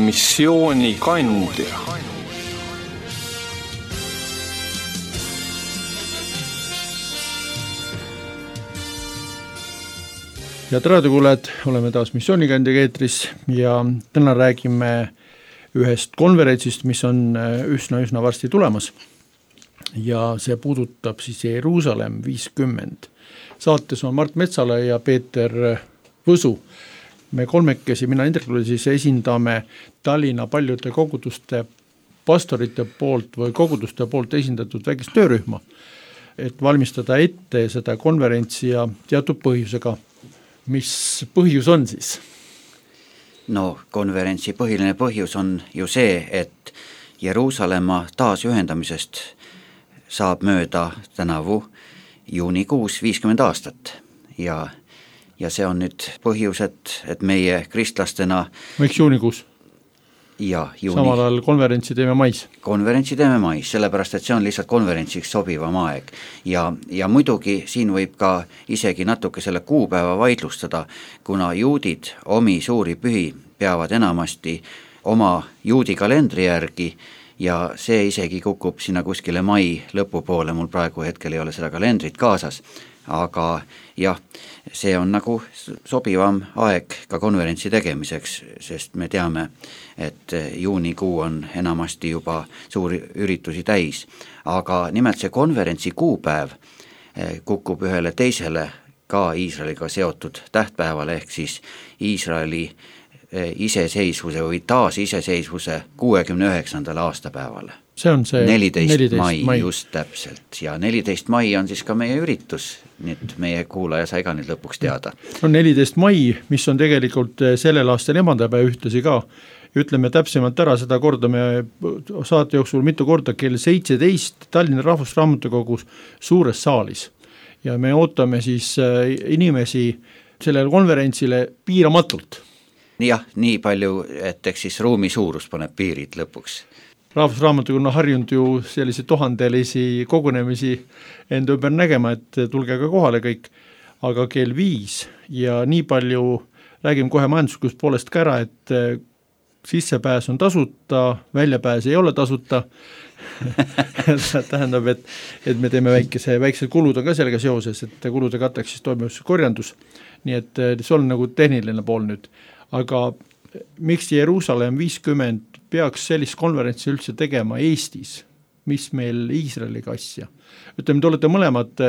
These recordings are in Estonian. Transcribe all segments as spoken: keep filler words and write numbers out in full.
missioonikandja. Head raadiokuulajad, oleme taas missioonikandjaga eetris ja täna räägime ühest konverentsist, mis on üsna-üsna varsti tulemas. Ja see puudutab siis Jeruusalemm viiskümmend. Saates on Mart Metsala ja Peeter Võsu. Me kolmekesi, mina Indrekule siis esindame Tallinna paljude koguduste pastorite poolt või koguduste poolt esindatud väikest töörühma, et valmistada ette seda konverentsi ja teatud põhjusega. Mis põhjus on siis? No konverentsi põhiline põhjus on ju see, et Jeruusalemma taasühendamisest saab mööda tänavu juunikuus viiskümmend aastat ja, ja see on nüüd põhjus, et, et meie kristlastena miks juunikuus? Ja, juuni. Samal ajal konverentsi teeme mais. Konverentsi teeme mais, sellepärast et see on lihtsalt konverentsiks sobivam aeg. Ja, ja muidugi siin võib ka isegi natuke selle kuupäeva vaidlustada, kuna juudid omi suuri pühi peavad enamasti oma juudi kalendri järgi ja see isegi kukub sinna kuskile mai lõpupoole, mul praegu hetkel ei ole seda kalendrit kaasas. Aga jah, see on nagu sobivam aeg ka konverentsi tegemiseks, sest me teame, et juunikuu on enamasti juba suuri üritusi täis. Aga nimelt see konverentsi kuupäev kukub ühele teisele ka Iisraeliga seotud tähtpäevale, ehk siis Iisraeli iseseisvuse või taas iseseisvuse kuuekümne üheksandale aastapäevale. See on see neliteist mai, mai just täpselt ja neliteist mai on siis ka meie üritus, nüüd meie kuulaja sai ka nüüd lõpuks teada. No neliteist mai, mis on tegelikult sellel aastal emandapäev ühtlasi ka, ütleme täpsemalt ära, seda kordame saate jooksul mitu korda kell seitseteist Tallinna Rahvusraamatukogus suures saalis ja me ootame siis inimesi sellele konverentsile piiramatult. Jah, nii palju, et eks siis ruumi suurus paneb piirid lõpuks. Rahvusraamatukogu on harjunud ju sellise tuhandelisi kogunemisi enda ümber nägema, et tulge ka kohale kõik, aga kell viis ja nii palju räägime kohe majanduslikust poolest ka ära, et sissepääs on tasuta, väljapääs ei ole tasuta. tähendab, et, et me teeme väikese, väiksed kulud on ka sellega seoses, et kulude katteks siis toimub korjandus, nii et see on nagu tehniline pool nüüd, aga miks Jeruusalemm viiskümmend peaks sellist konverentsi üldse tegema Eestis, mis meil Iisraeliga asja? Ütleme, te olete mõlemad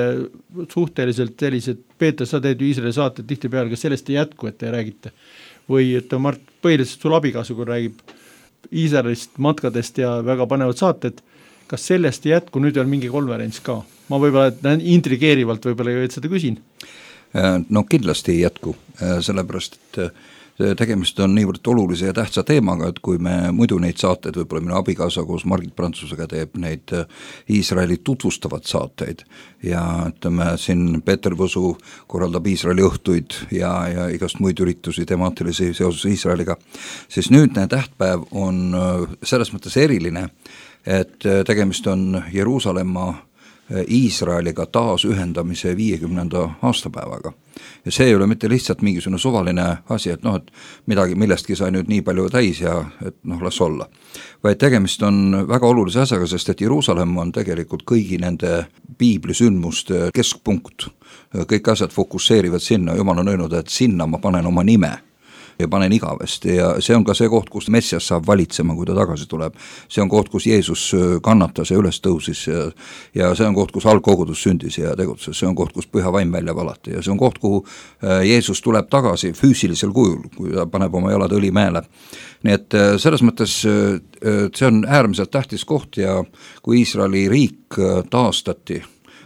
suhteliselt sellised, Peeter, sa teed ju Iisraeli saated tihti peale, kas sellest ei jätku, et te räägite? Või et Mart, põhiliselt sul abikaasu, kui räägib Iisraelist, matkadest ja väga panevad saated, kas sellest ei jätku, nüüd on mingi konverents ka? Ma võib-olla intrigeerivalt võib-olla ju et seda küsin. No kindlasti ei jätku, sellepärast, et tegemist on niivõrd olulise ja tähtsa teemaga, et kui me muidu neid saateid, võib-olla minu abikaasa koos Margit Prantsusega teeb neid Iisraeli tutvustavad saateid ja ütleme, siin Peeter Võsu korraldab Iisraeli õhtuid ja, ja igast muid üritusi temaatilisi seoses Iisraeliga, siis nüüdne tähtpäev on selles mõttes eriline, et tegemist on Jeruusalemma Iisraeliga taas ühendamise viiekümnenda aastapäevaga. Ja see ei ole mitte lihtsalt mingisugune suvaline asi, et noh, et midagi millestki sai nüüd nii palju täis ja et noh, las olla. Vaid tegemist on väga olulise asjaga, sest et Jeruusalemm on tegelikult kõigi nende piiblisündmuste keskpunkt. Kõik asjad fokusseerivad sinna, Jumal on öelnud, et sinna ma panen oma nime ja panen igavesti ja see on ka see koht, kus Messias saab valitsema, kui ta tagasi tuleb. See on koht, kus Jeesus kannatas ja üles tõusis ja, ja see on koht, kus algkogudus sündis ja tegutses, see on koht, kus püha vaim välja valati ja see on koht, kuhu Jeesus tuleb tagasi füüsilisel kujul, kui ta paneb oma jalad õlimäele. Nii et selles mõttes see on äärmiselt tähtis koht ja kui Iisraeli riik taastati,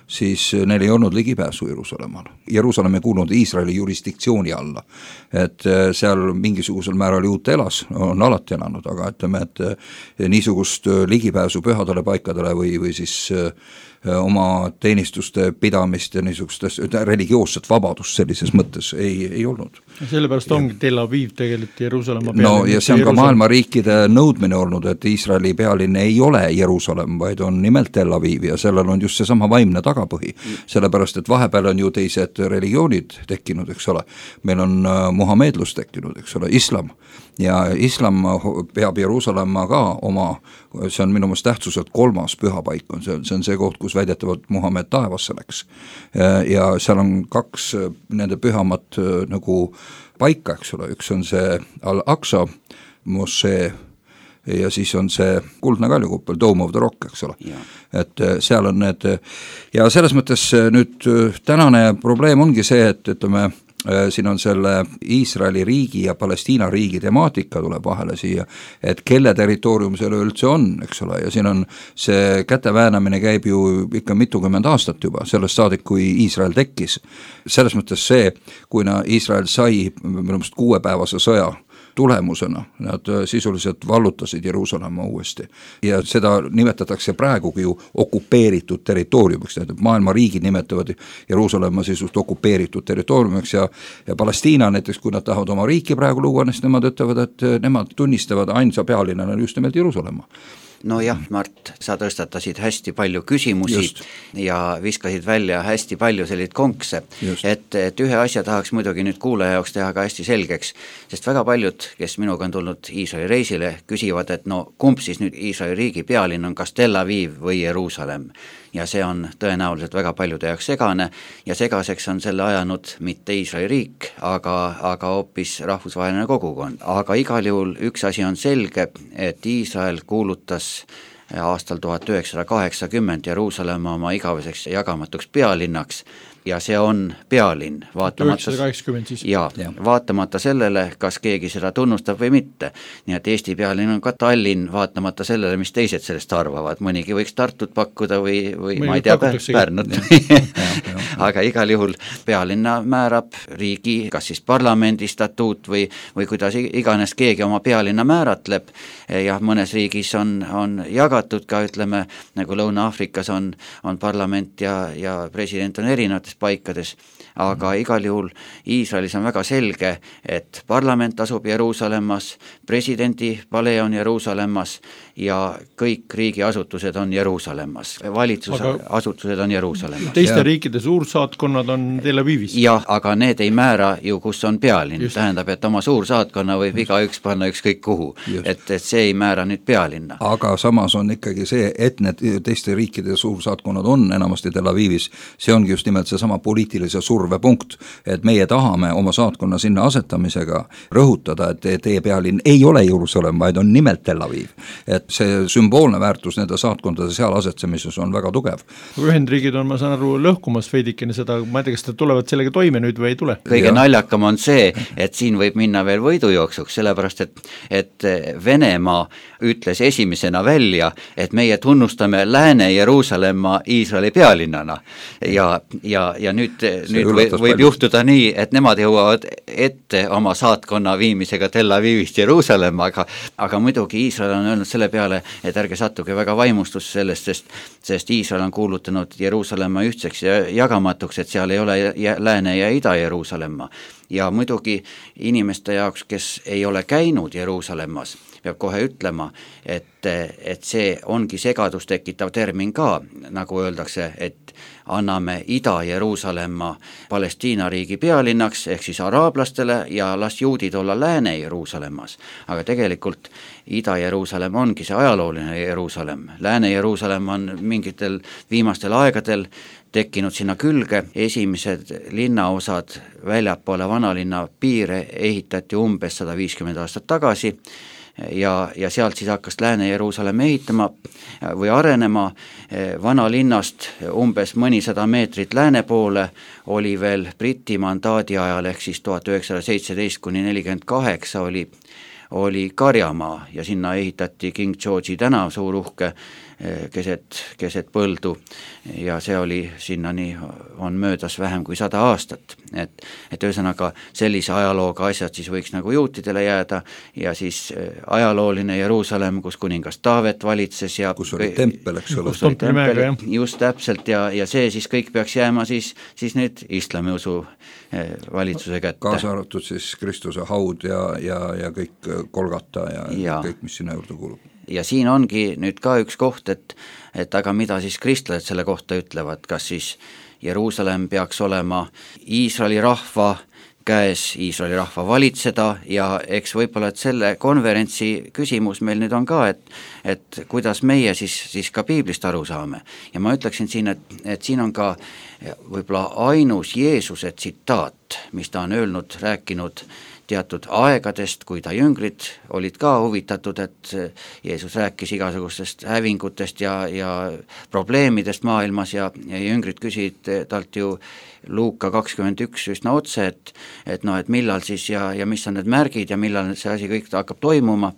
siis neil ei olnud ligipääsu Jeruusalemmal. Jeruusalemm ei kuulunud Iisraeli jurisdiktsiooni alla, et seal mingisugusel määral juut elas, on alati elanud, aga ütleme, et niisugust ligipääsu pühadele paikadele või, või siis oma teenistuste pidamist ja niisugustest religioosset vabadust sellises mõttes ei, ei olnud. Sellepärast ongi Tel Aviv tegelikult Jeruusalemma pealinn. No ja see on ka maailma riikide nõudmine olnud, et Iisraeli pealinn ei ole Jeruusalemm, vaid on nimelt Tel Aviv ja sellel on just seesama vaimne tagapõhi, sellepärast et vahepeal on ju teised uued religioonid tekkinud, eks ole, meil on muhameedlus tekkinud, eks ole, islam, ja islam peab Jeruusalemma ka oma, see on minu meelest tähtsuselt kolmas pühapaik, on see, see on see koht, kus väidetavalt Muhamed taevasse läks. Ja seal on kaks nende pühamat nagu paika, eks ole, üks on see Al-Aqsa mošee ja siis on see kuldne kaljukuppel, Dome of the Rock, eks ole. Et seal on need, ja selles mõttes nüüd tänane probleem ongi see, et ütleme, siin on selle Iisraeli riigi ja Palestiina riigi temaatika tuleb vahele siia, et kelle territoorium seal üldse on, eks ole, ja siin on see käteväänamine käib ju ikka mitukümmend aastat juba, sellest saadik, kui Iisrael tekkis. Selles mõttes see, kui Iisrael sai minu meelest kuuepäevase sõja tulemusena, nad sisuliselt vallutasid Jeruusalemma uuesti ja seda nimetatakse praegugi ju okupeeritud territooriumiks, maailma riigid nimetavad Jeruusalemma sisust okupeeritud territooriumiks ja, ja Palestiina näiteks, kui nad tahavad oma riiki praegu luua, siis nemad ütlevad, et nemad tunnistavad ainsa pealinnana just nimelt Jeruusalemma. No jah, Mart, sa tõstatasid hästi palju küsimusi Just. ja viskasid välja hästi palju selliseid konkse, et, et ühe asja tahaks muidugi nüüd kuulaja jaoks teha ka hästi selgeks, sest väga paljud, kes minuga on tulnud Iisraeli reisile, küsivad, et no kumb siis nüüd Iisraeli riigi pealinn on, kas Tel Aviv või Jeruusalemm. Ja see on tõenäoliselt väga paljude jaoks segane ja segaseks on selle ajanud mitte Iisraeli riik, aga, aga hoopis rahvusvaheline kogukond. Aga igal juhul üks asi on selge, et Iisrael kuulutas aastal tuhat üheksasada kaheksakümmend Jeruusalemma oma igaveseks jagamatuks pealinnaks ja see on pealinn, vaatamata, siis. Ja, ja. vaatamata sellele, kas keegi seda tunnustab või mitte. Nii et Eesti pealinn on ka Tallinn, vaatamata sellele, mis teised sellest arvavad. Mõnigi võiks Tartut pakkuda või, või ma ei tea, Pärnut. Aga igal juhul pealinna määrab riigi, kas siis parlamendi statuut või, või kuidas iganes keegi oma pealinna määratleb. Ja mõnes riigis on, on jagatud ka, ütleme, nagu Lõuna-Aafrikas on, on parlament ja, ja president on erinevates paikades, aga igal juhul Iisraelis on väga selge, et parlament asub Jeruusalemmas, presidendi palee on Jeruusalemmas ja kõik riigiasutused on Jeruusalemmas, valitsuse aga asutused on Jeruusalemmas. Teiste ja. riikide suursaatkonnad on Tel Avivis. Jah, aga need ei määra ju, kus on pealinn, Just. tähendab, et oma suursaatkonna võib Just. igaüks panna ükskõik kuhu, et, et see ei määra nüüd pealinna. Aga samas on ikkagi see, et need teiste riikide suursaatkonnad on enamasti Tel Avivis, see ongi just nimelt see sama poliitilise survepunkt, et meie tahame oma saatkonna sinna asetamisega rõhutada, et teie pealinn ei ole Jeruusalemm, vaid on nimelt Tel Aviv. Et see sümboolne väärtus nende saatkondade seal asetsemises on väga tugev. Ühendriigid on, ma saan aru, lõhkumas veidikene seda, ma ei tea, kas te tulevad sellega toime nüüd või ei tule? Kõige ja. naljakam on see, et siin võib minna veel võidujooksuks, sellepärast et, et Venemaa ütles esimesena välja, et meie tunnustame Lääne-Jeruusalemma Iisraeli pealinnana ja, ja ja nüüd, nüüd võib, võib juhtuda nii, et nemad jõuavad ette oma saatkonna viimisega Tel Avivist Jeruusalemma, aga, aga muidugi Iisrael on öelnud selle peale, et ärge sattuge väga vaimustus sellest, sest, sest Iisrael on kuulutanud Jeruusalemma ühtseks ja jagamatuks, et seal ei ole Lääne- ja Ida-Jeruusalemma. Ja muidugi inimeste jaoks, kes ei ole käinud Jeruusalemmas, peab kohe ütlema, et, et see ongi segadust tekitav termin ka, nagu öeldakse, et anname Ida-Jeruusalemma Palestiina riigi pealinnaks, ehk siis araablastele ja las juudid olla Lääne-Jeruusalemmas. Aga tegelikult Ida-Jeruusalemm ongi see ajalooline Jeruusalemm. Lääne-Jeruusalemm on mingitel viimastel aegadel tekkinud sinna külge, esimesed linnaosad väljapoole vanalinna piire ehitati umbes sada viiskümmend aastat tagasi ja, ja sealt siis hakkas Lääne-Jeruusalemm ehitama või arenema. Vanalinnast umbes mõnisada meetrit lääne poole oli veel Briti mandaadi ajal ehk siis tuhat üheksasada seitseteist kuni nelikümmend kaheksa oli oli Karjamaa ja sinna ehitati King George'i tänav suur uhke keset, keset põldu ja see oli sinnani on möödas vähem kui sada aastat. Et, et ühesõnaga sellise ajalooga asjad siis võiks nagu juutidele jääda ja siis ajalooline Jeruusalemm, kus kuningas Taavet valitses ja kus oli tempel, eks ole. Tempel, just täpselt ja, ja see siis kõik peaks jääma siis, siis nüüd islamiusu valitsuse kätte. Kaasa arvatud siis Kristuse haud ja, ja, ja kõik Kolgata ja, ja kõik, mis sinna juurde kuulub. Ja siin ongi nüüd ka üks koht, et, et aga mida siis kristlased selle kohta ütlevad, kas siis Jeruusalemm peaks olema Iisraeli rahva käes, Iisraeli rahva valitseda ja eks võib-olla, et selle konverentsi küsimus meil nüüd on ka, et et kuidas meie siis, siis ka piiblist aru saame. Ja ma ütleksin siin, et, et siin on ka võib-olla ainus Jeesuse tsitaat, mis ta on öelnud, rääkinud teatud aegadest, kui ta jüngrid olid ka huvitatud, et Jeesus rääkis igasugustest hävingutest ja, ja probleemidest maailmas ja, ja jüngrid küsisid talt ju Luuka kakskümmend üks üsna otse, et, et noh, et millal siis ja, ja mis on need märgid ja millal see asi kõik hakkab toimuma.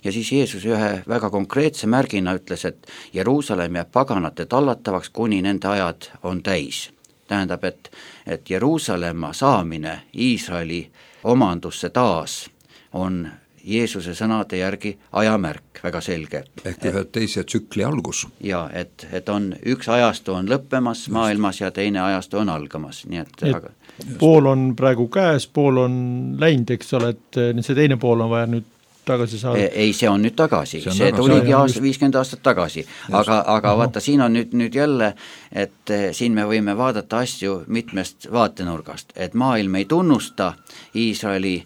Ja siis Jeesus ühe väga konkreetse märgina ütles, et Jeruusalemm jääb paganate tallatavaks, kuni nende ajad on täis. Tähendab, et, et Jeruusalemma saamine Iisraeli omandusse taas on Jeesuse sõnade järgi ajamärk, väga selge. Ehk ühe teise tsükli algus. Ja, et, et on üks ajastu on lõppemas just maailmas ja teine ajastu on algamas. Nii et, et aga... pool on praegu käes, pool on läinud, eks ole, et see teine pool on vaja nüüd tagasi saada. Ei, see on nüüd tagasi, see, see tagasi. tuligi aasta, viiskümmend aastat tagasi, aga, aga uh-huh. vaata, siin on nüüd, nüüd jälle, et siin me võime vaadata asju mitmest vaatenurgast, et maailm ei tunnusta Iisraeli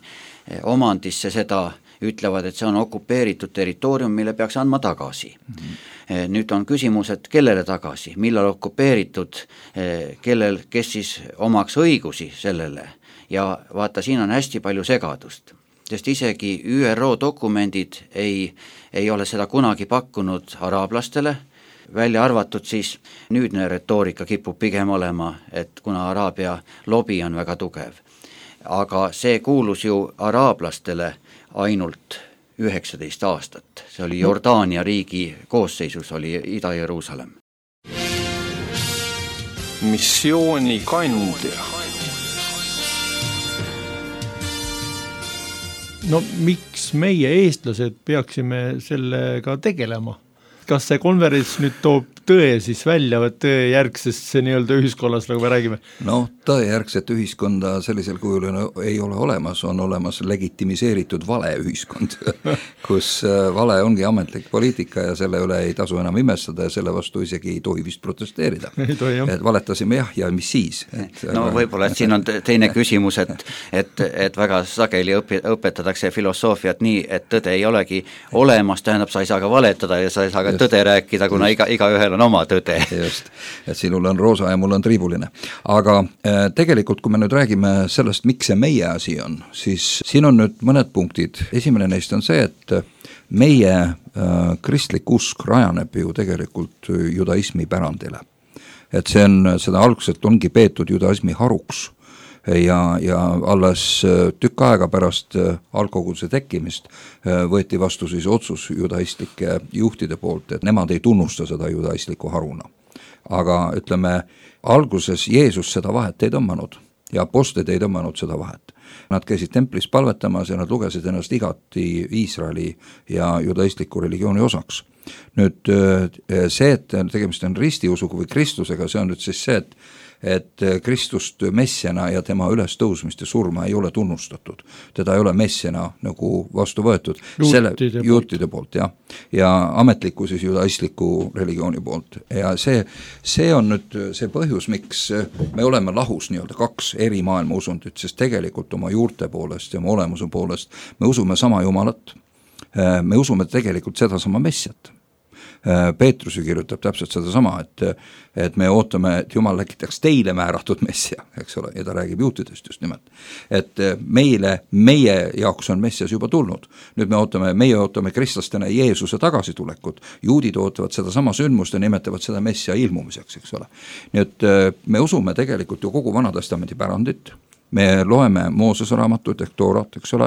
omandisse seda, ütlevad, et see on okupeeritud territoorium, mille peaks andma tagasi. Mm-hmm. Nüüd on küsimus, et kellele tagasi, millal okupeeritud, kellel, kes siis omaks õigusi sellele ja vaata, siin on hästi palju segadust, sest isegi Ü R O dokumendid ei, ei ole seda kunagi pakkunud araablastele, välja arvatud siis nüüdne retoorika kipub pigem olema, et kuna Araabia lobi on väga tugev. Aga see kuulus ju araablastele ainult üheksateist aastat, see oli Jordaania riigi koosseisus, oli Ida-Jeruusalemm. Missiooni kandja. No miks meie eestlased peaksime sellega tegelema? Kas see konverents nüüd toob tõe siis välja või tõe järgsesse nii-öelda ühiskonnas, nagu me räägime? No tõe järgset ühiskonda sellisel kujul ei ole olemas, on olemas legitimiseeritud vale ühiskond, kus vale ongi ametlik poliitika ja selle üle ei tasu enam imestada ja selle vastu isegi ei tohi vist protesteerida. Tohi, et valetasime jah ja mis siis? Et, no võib-olla, et siin on teine küsimus, et, et, et väga sageli õpi, õpetatakse filosoofiat nii, et tõde ei olegi olemas, tähendab, sa ei saa ka valetada ja sa ei saa ka just tõde rääkida, kuna iga, iga ühel on oma tõde. Just, et sinul on roosa ja mul on triibuline. Aga äh, tegelikult, kui me nüüd räägime sellest, miks see meie asi on, siis siin on nüüd mõned punktid. Esimene neist on see, et meie äh, kristlik usk rajaneb ju tegelikult judaismi pärandile. Et see on, seda alguselt ongi peetud judaismi haruks. Ja, ja alles tükk aega pärast algkoguduse tekkimist võeti vastu siis otsus judaistlike juhtide poolt, et nemad ei tunnusta seda judaistliku haruna. Aga ütleme, alguses Jeesus seda vahet ei tõmmanud ja apostlid ei tõmmanud seda vahet. Nad käisid templis palvetamas ja nad lugesid ennast igati Iisraeli ja judaistliku religiooni osaks. Nüüd see, et tegemist on ristiusuga või Kristusega, see on nüüd siis see, et et Kristust messiana ja tema ülestõusmist ja surma ei ole tunnustatud. Teda ei ole messiana nagu vastu võetud. Juutide, Selle, juutide poolt, poolt jah. Ja ametliku siis judaistliku religiooni poolt. Ja see, see on nüüd see põhjus, miks me oleme lahus nii-öelda kaks eri maailma usundit, sest tegelikult oma juurte poolest ja oma olemuse poolest me usume sama Jumalat. Me usume tegelikult seda sama messiat. Peetrus ju kirjutab täpselt seda sama, et, et me ootame, et Jumal läkitaks teile määratud messia, eks ole, ja ta räägib juutidest just nimelt. Et meile, meie jaoks on messias juba tulnud. Nüüd me ootame, meie ootame kristlastena Jeesuse tagasitulekut. Juudid ootavad seda sama sündmust ja nimetavad seda messia ilmumiseks, eks ole. Nii et me usume tegelikult ju kogu Vanatestamendi pärandit. Me loeme Moosese raamatut ehk Toorat, eks ole,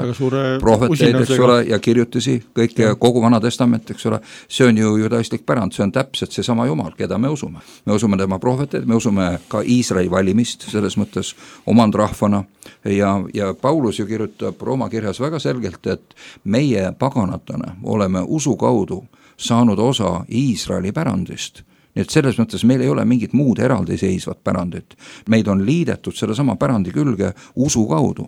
prohveteid, eks ole, ja kirjutisi, kõik ja kogu Vana Testament, eks ole, see on ju judaistlik pärand, see on täpselt see sama Jumal, keda me usume. Me usume tema prohveteid, me usume ka Iisraeli valimist, selles mõttes omandrahvana ja, ja Paulus ju kirjutab Rooma kirjas väga selgelt, et meie paganatena oleme usu kaudu saanud osa Iisraeli pärandist. Nii et selles mõttes meil ei ole mingit muud eraldiseisvat pärandit. Meid on liidetud selle sama pärandi külge usu kaudu.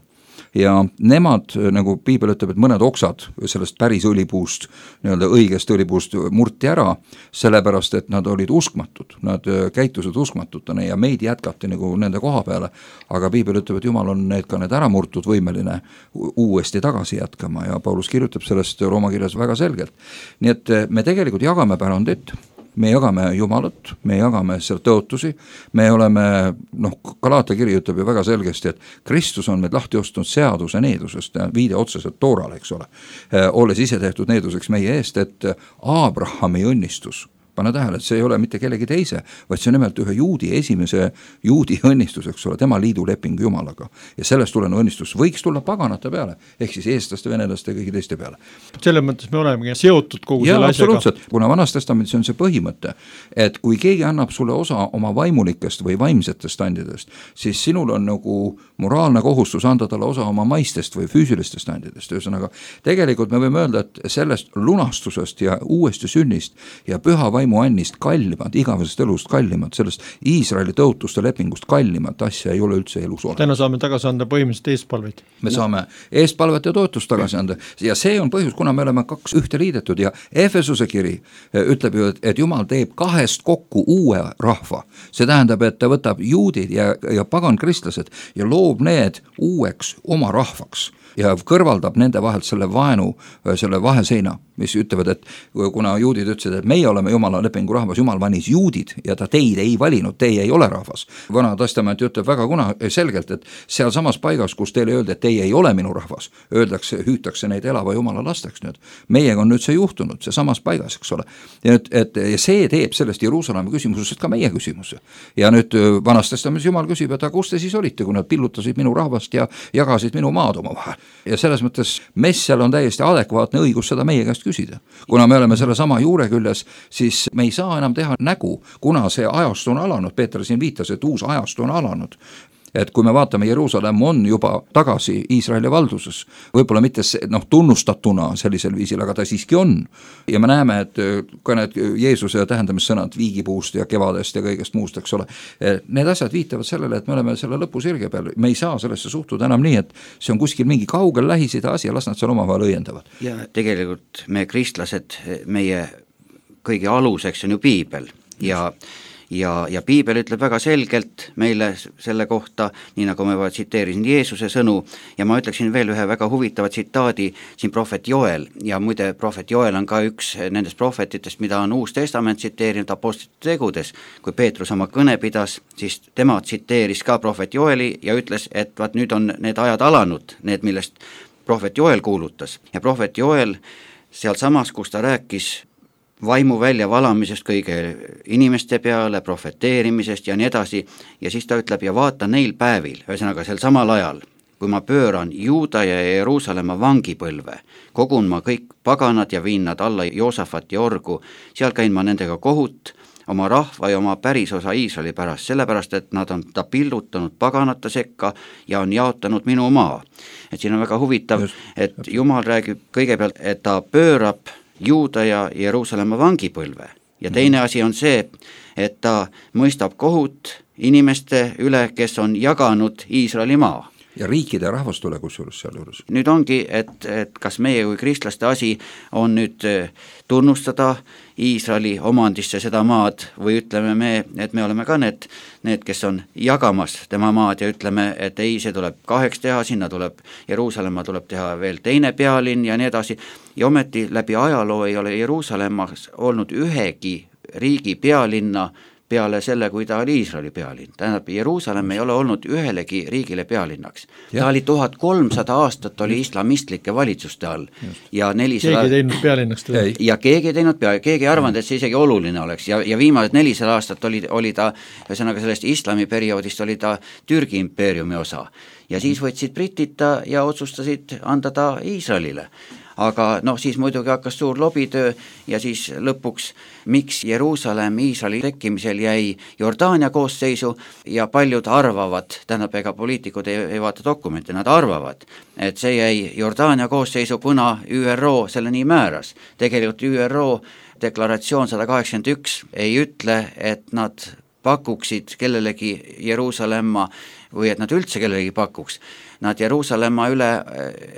ja nemad, nagu piibel ütleb, et mõned oksad sellest päris õlipuust, nii-öelda õigest õlipuust murti ära, sellepärast, et nad olid uskmatud, nad käitusid uskmatutena ja meid jätkati nagu nende koha peale, aga piibel ütleb, et Jumal on need ka need ära murtud võimeline uuesti tagasi jätkama ja Paulus kirjutab sellest Rooma kirjas väga selgelt. Nii et me tegelikult jagame pärandit, me jagame Jumalat, me jagame seal tõotusi, me oleme, noh, Galatia kiri ütleb ju väga selgesti, et Kristus on meid lahti ostunud seaduse needusest, viide otseselt Toorale, eks ole, olles ise tehtud needuseks meie eest, et Abrahami õnnistus, pane tähele, et see ei ole mitte kellegi teise, vaid see on nimelt ühe juudi, esimese juudi õnnistus, eks ole, tema liiduleping Jumalaga. Ja sellest tulenev õnnistus võiks tulla paganate peale, ehk siis eestlaste, venelaste ja kõigi teiste peale. Selles mõttes me olemegi seotud kogu ja, selle asjaga. Absoluutselt, kuna Vanas Testamendis on see põhimõte, et kui keegi annab sulle osa oma vaimulikest või vaimsetest standidest, siis sinul on nagu moraalne kohustus anda talle osa oma maistest või füüsilistest standidest. Ühesõnaga, tegelikult me võime öelda, et sellest lunastusest ja uuesti sünnist ja püha vaimu annist kallimad, igavesest elust kallimad, sellest Iisraeli tõotuste lepingust kallimad asja ei ole üldse elus ole. Täna saame tagasi anda põhimõtteliselt eestpalveid. Me saame eestpalvet ja toetust tagasi anda ja see on põhjus, kuna me oleme kaks ühte liidetud ja Efesuse kiri ütleb ju, et Jumal teeb kahest kokku uue rahva. See tähendab, et ta võtab juudid ja, ja pagan kristlased ja loob need uueks oma rahvaks ja kõrvaldab nende vahelt selle vaenu, selle vaheseina, mis ütlevad, et kuna juudid ütlesid, et meie oleme Jumala lepingu rahvas, Jumal valis juudid ja ta teid ei valinud, teie ei ole rahvas. Vana testament ütleb väga kuna selgelt, et seal samas paigas, kus teile öeldi, et teie ei ole minu rahvas, öeldakse, hüütakse neid elava Jumala lasteks nüüd. Meiega on nüüd see juhtunud, see samas paigas, eks ole. Ja, nüüd, et, ja see teeb sellest Jeruusalemma küsimusest ka meie küsimuse. Ja nüüd Vanas testamendis Jumal küsib, et kus te siis olite, kui nad pillutasid minu rahvast ja jagasid minu maad oma vahel. Ja selles mõttes messjal on täiesti adekvaatne õigus seda meie käest küsida. Kuna me oleme selle sama juure küljes, siis me ei saa enam teha nägu, kuna see ajastu on alanud, Peeter siin viitas, et uus ajastu on alanud. Et kui me vaatame, Jeruusalemm on juba tagasi Iisraeli valduses, võib-olla mitte noh, tunnustatuna sellisel viisil, aga ta siiski on. Ja me näeme, et ka need Jeesuse tähendamissõnad viigipuust ja kevadest ja kõigest muust, eks ole, need asjad viitavad sellele, et me oleme selle lõpusirge peal. Me ei saa sellesse suhtuda enam nii, et see on kuskil mingi kaugel lähisida asi ja las nad seal omavahel õiendavad. Ja tegelikult me kristlased, meie kõige aluseks on ju piibel ja Ja, ja piibel ütleb väga selgelt meile selle kohta, nii nagu ma juba tsiteerisin Jeesuse sõnu ja ma ütleksin veel ühe väga huvitava tsitaadi siin prohvet Joel ja muide prohvet Joel on ka üks nendest prohvetitest, mida on Uus Testament tsiteerinud apostlite tegudes. Kui Peetrus oma kõne pidas, siis tema tsiteeris ka prohvet Joeli ja ütles, et vaat nüüd on need ajad alanud, need millest prohvet Joel kuulutas ja prohvet Joel seal samas, kus ta rääkis vaimu välja valamisest kõige inimeste peale, profeteerimisest ja nii edasi ja siis ta ütleb ja vaata neil päevil, ühesõnaga sel samal ajal, kui ma pööran Juuda ja Jeruusalemma vangipõlve, kogun ma kõik paganad ja viin nad alla Joosafat ja orgu, seal käin ma nendega kohut, oma rahva ja oma pärisosa Iisraeli pärast, sellepärast, et nad on ta pillutanud paganate sekka ja on jaotanud minu maa. Et siin on väga huvitav, et Jumal räägib kõigepealt, et ta pöörab Juuda ja Jeruusalemma vangipõlve ja teine asi on see, et ta mõistab kohut inimeste üle, kes on jaganud Iisraeli maa. Ja riikide rahvast üle kusjuures seal juures. Nüüd ongi, et, et kas meie kui kristlaste asi on nüüd tunnustada Iisraeli omandisse seda maad või ütleme me, et me oleme ka need, need, kes on jagamas tema maad ja ütleme, et ei, see tuleb kaheks teha, sinna tuleb Jeruusalemma tuleb teha veel teine pealinn ja nii edasi ja ometi läbi ajaloo ei ole Jeruusalemmas olnud ühegi riigi pealinna peale selle, kui ta oli Iisraeli pealinn. Tähendab, Jeruusalemm ei ole olnud ühelegi riigile pealinnaks. Ja. Ta oli tuhat kolmsada aastat oli islamistlike valitsuste all. Ja nelisada... Keegi teinud pealinnaks teda. Ja keegi teinud pealinnaks, keegi ei arvanud, et see isegi oluline oleks. Ja, ja viimased nelisada aastat oli, oli ta, ühesõnaga sellest islami perioodist oli ta Türgi impeeriumi osa. Ja siis võtsid britita ja otsustasid anda ta Iisraelile. Aga noh, siis muidugi hakkas suur lobitöö ja siis lõpuks, miks Jeruusalemm Iisraeli tekkimisel jäi Jordaania koosseisu ja paljud arvavad, tähendab, ega poliitikud ei, ei vaata dokumente, nad arvavad, et see jäi Jordaania koosseisu, kuna Ü R O selle nii määras. Tegelikult Ü R O deklaratsioon sada kaheksakümmend üks ei ütle, et nad pakuksid kellelegi Jeruusalemma või et nad üldse kellelegi pakuks. Nad Jeruusalemma üle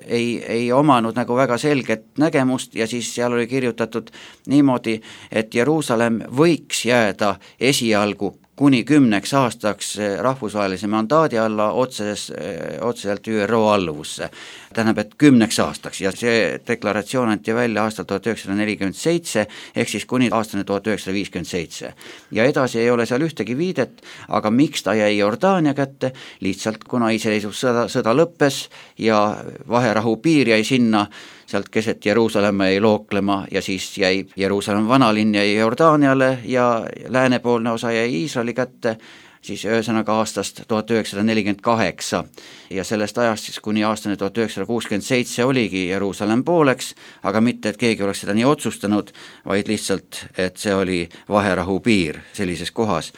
ei, ei omanud nagu väga selget nägemust ja siis seal oli kirjutatud niimoodi, et Jeruusalemm võiks jääda esialgu kuni kümneks aastaks rahvusvahelise mandaadi alla otses, otseselt Ü R O alluvusse. Tähendab, et kümneks aastaks ja see deklaratsioon anti välja aastal tuhat üheksasada nelikümmend seitse ehk siis kuni aastani tuhat üheksasada viiskümmend seitse. Ja edasi ei ole seal ühtegi viidet, aga miks ta jäi Jordaania kätte? Lihtsalt kuna iseseisvussõda sõda lõppes ja vaherahu piir jäi sinna, sealt keset Jeruusalemma jäi looklema ja siis jäi Jeruusalemma vanalinn jäi Jordaaniale ja läänepoolne osa jäi Iisraeli kätte, siis ühesõnaga aastast tuhat üheksasada nelikümmend kaheksa ja sellest ajast siis kuni aastani tuhat üheksasada kuuskümmend seitse oligi Jeruusalemm pooleks, aga mitte, et keegi oleks seda nii otsustanud, vaid lihtsalt, et see oli vaherahu piir sellises kohas.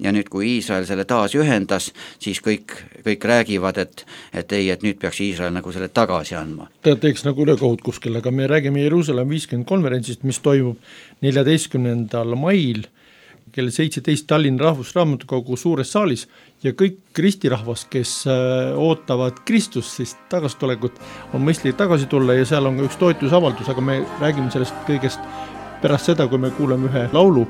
Ja nüüd, kui Iisrael selle taas ühendas, siis kõik, kõik räägivad, et, et ei, et nüüd peaks Iisrael nagu selle tagasi andma. Ta teeks nagu ülekohut kuskil, aga me räägime Jeruusalemm viiskümmend konverentsist, mis toimub neljateistkümnendal mail kell seitseteist Tallinna Rahvusraamatukogu suures saalis ja kõik kristirahvas, kes ootavad Kristust, siis tagastulekut, on mõistlik tagasi tulla ja seal on ka üks toetusavaldus, aga me räägime sellest kõigest pärast seda, kui me kuuleme ühe laulu.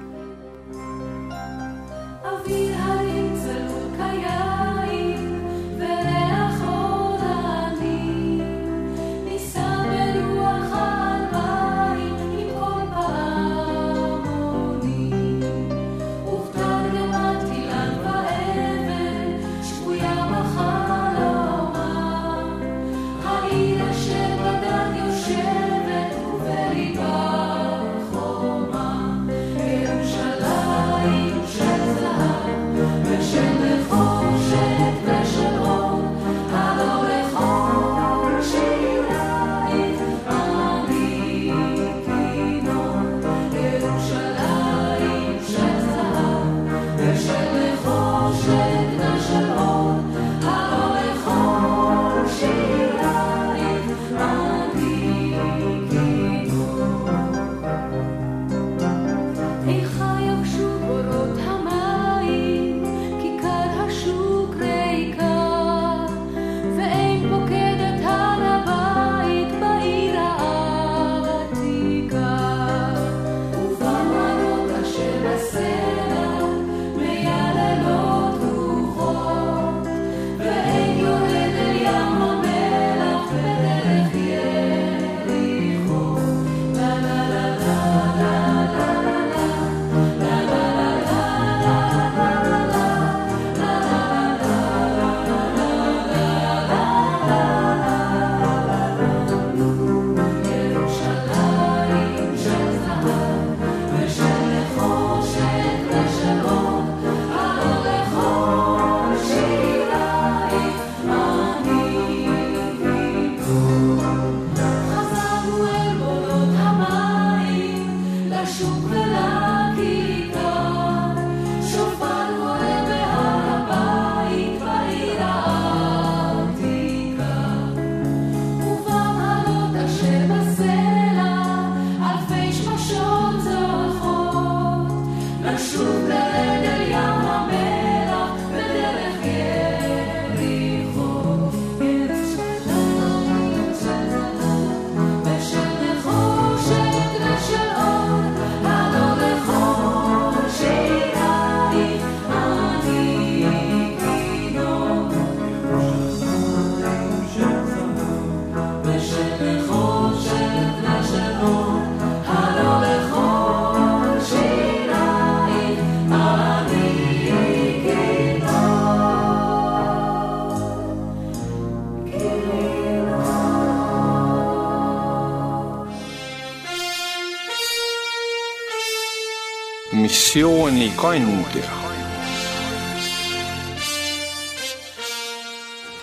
Missiooni kandja.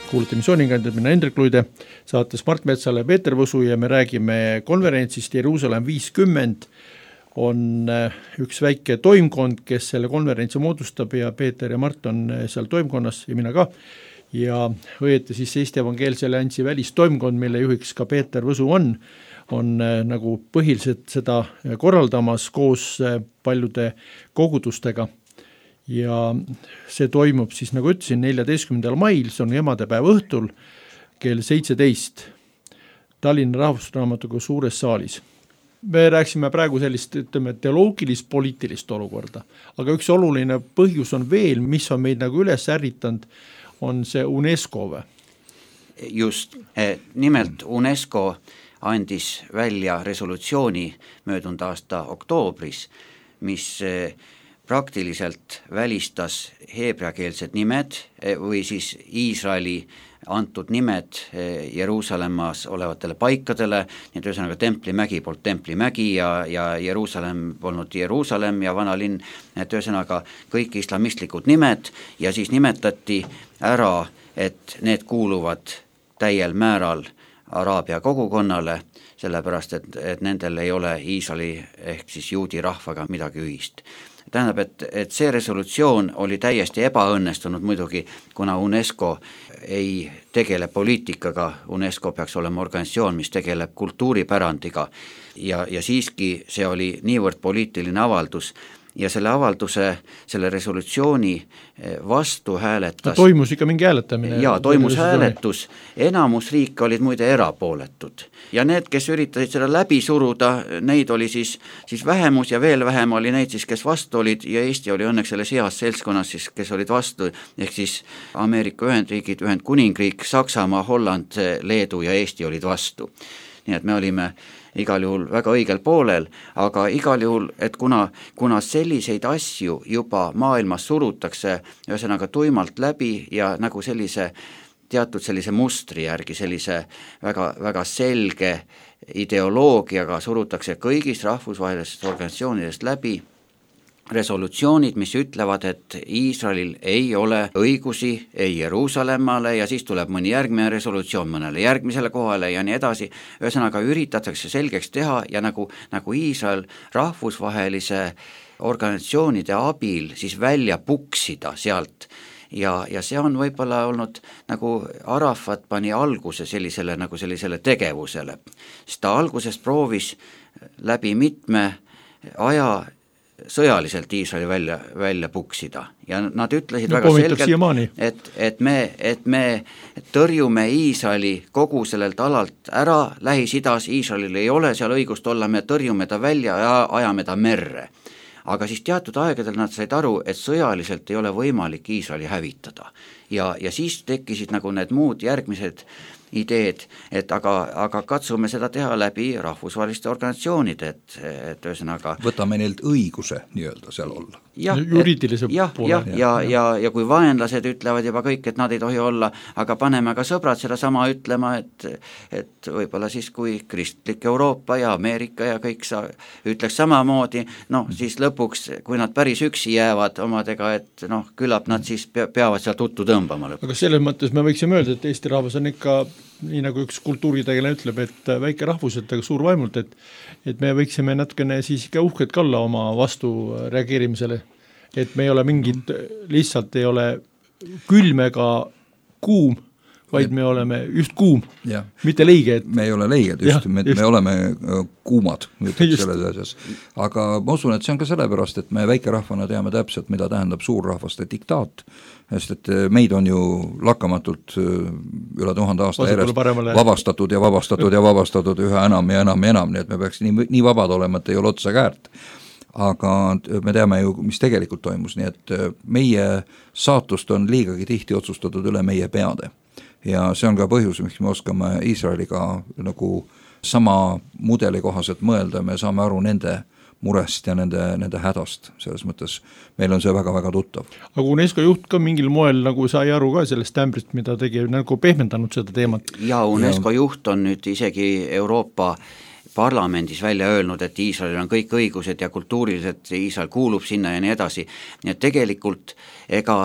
Kuulete missioonikandjad, mina Hendrik Luide, saates Mart Metsale Peeter Võsu ja me räägime konverentsist Jeruusalemm viiskümmend. On üks väike toimkond, kes selle konverentsi moodustab ja Peeter ja Mart on seal toimkonnas ja mina ka. Ja õieti siis Eesti Evangeelse Alliansi välistoimkond, mille juhiks ka Peeter Võsu on, on nagu põhiliselt seda korraldamas koos paljude kogudustega. ja see toimub siis, nagu ütlesin, neljateistkümnendal mail, see on emadepäeva õhtul kell seitseteist Tallinna Rahvusraamatukogu suures saalis. Me rääksime praegu sellist, ütleme, teoloogilist-poliitilist olukorda, aga üks oluline põhjus on veel, mis on meid nagu üles ärritanud, on see UNESCO või? Just, nimelt UNESCO andis välja resolutsiooni möödunud aasta oktoobris, mis praktiliselt välistas heebreakeelsed nimed või siis Iisraeli antud nimed Jeruusalemmas olevatele paikadele, nii et ühesõnaga Templimägi poolt Templimägi ja, ja Jeruusalemm polnud Jeruusalemm ja vanalinn, et ühesõnaga kõik islamistlikud nimed ja siis nimetati ära, et need kuuluvad täiel määral Araabia kogukonnale, sellepärast et, et nendel ei ole Iisraeli ehk siis juudi rahvaga midagi ühist. Tähendab, et, et see resolutsioon oli täiesti ebaõnnestunud muidugi, kuna UNESCO ei tegele poliitikaga, UNESCO peaks olema organisatsioon, mis tegeleb kultuuripärandiga ja, ja siiski see oli niivõrd poliitiline avaldus ja selle avalduse, selle resolutsiooni vastu hääletas. No, toimus ikka mingi hääletamine. Jaa, toimus hääletus, enamus riike olid muide erapooletud ja need, kes üritasid seda läbi suruda, neid oli siis, siis vähemus ja veel vähem oli neid siis, kes vastu olid ja Eesti oli õnneks selles heas seltskonnas siis, kes olid vastu, ehk siis Ameerika Ühendriigid, Ühendkuningriik, Saksamaa, Holland, Leedu ja Eesti olid vastu. Nii et me olime igal juhul väga õigel poolel, aga igal juhul, et kuna, kuna selliseid asju juba maailmas surutakse ühesõnaga tuimalt läbi ja nagu sellise teatud sellise mustri järgi, sellise väga, väga selge ideoloogiaga surutakse kõigist rahvusvahelisest organisatsioonidest läbi resolutsioonid, mis ütlevad, et Iisraelil ei ole õigusi ei Jeruusalemmale ja siis tuleb mõni järgmine resolutsioon mõnele järgmisele kohale ja nii edasi. Ühesõnaga üritatakse selgeks teha ja nagu, nagu Iisrael rahvusvahelise organisatsioonide abil siis välja puksida sealt ja, ja see on võib-olla olnud nagu Arafat pani alguse sellisele, nagu sellisele tegevusele, sest ta algusest proovis läbi mitme aja sõjaliselt Iisraeli välja, välja puksida ja nad ütlesid no, väga selgelt, et, et, me, et me tõrjume Iisraeli kogu sellelt alalt ära, Lähis-Idas Iisraelil ei ole seal õigust olla, me tõrjume ta välja ja ajame ta merre. Aga siis teatud aegadel nad said aru, et sõjaliselt ei ole võimalik Iisraeli hävitada ja, ja siis tekkisid nagu need muud järgmised ideed, et aga, aga katsume seda teha läbi rahvusvaheliste organisatsioonide, et, et ühesõnaga võtame neilt õiguse nii-öelda seal olla. Ja, juriidilise ja, poole. Ja, ja, ja, ja, ja kui vaenlased ütlevad juba kõik, et nad ei tohi olla, aga paneme ka sõbrad seda sama ütlema, et, et võib-olla siis kui kristlik Euroopa ja Ameerika ja kõik sa ütleks samamoodi, noh siis lõpuks, kui nad päris üksi jäävad omadega, et noh, küllap nad siis peavad seal tuttu tõmbama lõpuks. Aga selles mõttes me võiksime öelda, et Eesti rahvas on ikka nii nagu üks kultuuritegelane ütleb, et väike rahvuselt, aga suur vaimult, et, et me võiksime natukene siis ikka uhked kalla oma vastu reageerimisele, et me ei ole mingid, lihtsalt ei ole külm ega kuum, vaid me oleme just kuum, ja. Mitte leige. Et... me ei ole leiged, just, ja, me, just. me oleme kuumad selles asjas. Aga ma usun, et see on ka sellepärast, et me väikerahvana teame täpselt, mida tähendab suurrahvaste diktaat, sest et meid on ju lakkamatult üle tuhande aasta järjest vabastatud ja vabastatud ja vabastatud üha enam ja enam ja enam, nii et me peaks nii, nii vabad olema, et ei ole otsa käärt. Aga me teame ju, mis tegelikult toimus, nii et meie saatust on liigagi tihti otsustatud üle meie peade. Ja see on ka põhjus, miks me oskame Iisraeliga nagu sama mudeli kohaselt mõelda, me saame aru nende murest ja nende, nende hädast, selles mõttes meil on see väga-väga tuttav. Aga UNESCO juht ka mingil moel nagu sai aru ka sellest ämbrist, mida tegi, nagu pehmendanud seda teemat. Ja UNESCO ja. Juht on nüüd isegi Euroopa parlamendis välja öelnud, et Iisraelil on kõik õigused ja kultuuriliselt Iisrael kuulub sinna ja nii edasi. Nii et tegelikult ega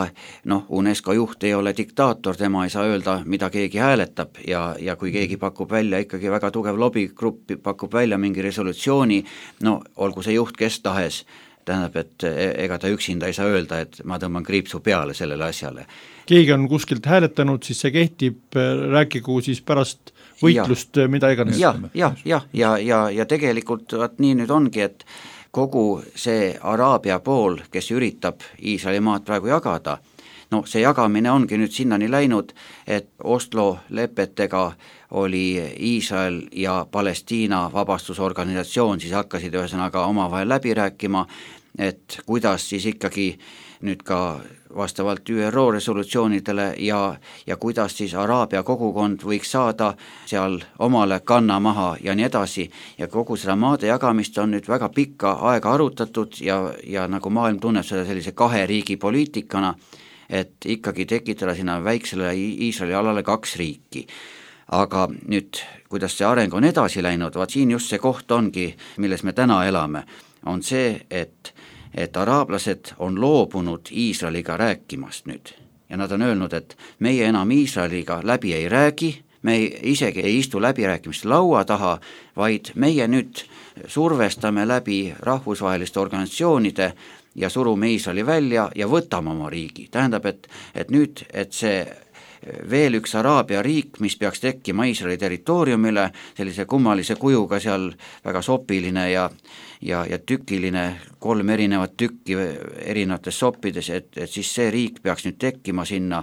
noh, UNESCO juht ei ole diktaator, tema ei saa öelda, mida keegi hääletab ja, ja kui keegi pakub välja ikkagi väga tugev lobigrupp, pakub välja mingi resolutsiooni, no olgu see juht kes tahes, tähendab, et ega ta üksinda ei saa öelda, et ma tõmban kriipsu peale sellele asjale. Keegi on kuskilt hääletanud, siis see kehtib, rääkigu siis pärast võitlust, ja, mida iganes. Ja, ja, ja, ja, ja, ja tegelikult vaat nii nüüd ongi, et kogu see Araabia pool, kes üritab Iisraeli maad praegu jagada, no see jagamine ongi nüüd sinnani läinud, et Oslo lepetega oli Iisrael ja Palestiina vabastusorganisatsioon, siis hakkasid ühesõnaga omavahel läbi rääkima, et kuidas siis ikkagi nüüd ka vastavalt Ü R O resolutsioonidele ja, ja kuidas siis Araabia kogukond võiks saada seal omale kanna maha ja nii edasi, ja kogu seda maade jagamist on nüüd väga pikka aega arutatud ja, ja nagu maailm tunneb seda sellise kahe riigi poliitikana, et ikkagi tekitada sinna väiksele Iisraeli alale kaks riiki. Aga nüüd, kuidas see areng on edasi läinud, vaat siin just see koht ongi, milles me täna elame, on see, et et araablased on loobunud Iisraeliga rääkimast nüüd ja nad on öelnud, et meie enam Iisraeliga läbi ei räägi, me ei, isegi ei istu läbirääkimiste laua taha, vaid meie nüüd survestame läbi rahvusvaheliste organisatsioonide ja surume Iisraeli välja ja võtame oma riigi. Tähendab, et, et nüüd, et see veel üks Araabia riik, mis peaks tekkima Iisraeli territooriumile, sellise kummalise kujuga seal väga sopiline ja, ja, ja tükiline, kolm erinevat tükki erinevates soppides, et, et siis see riik peaks nüüd tekkima sinna.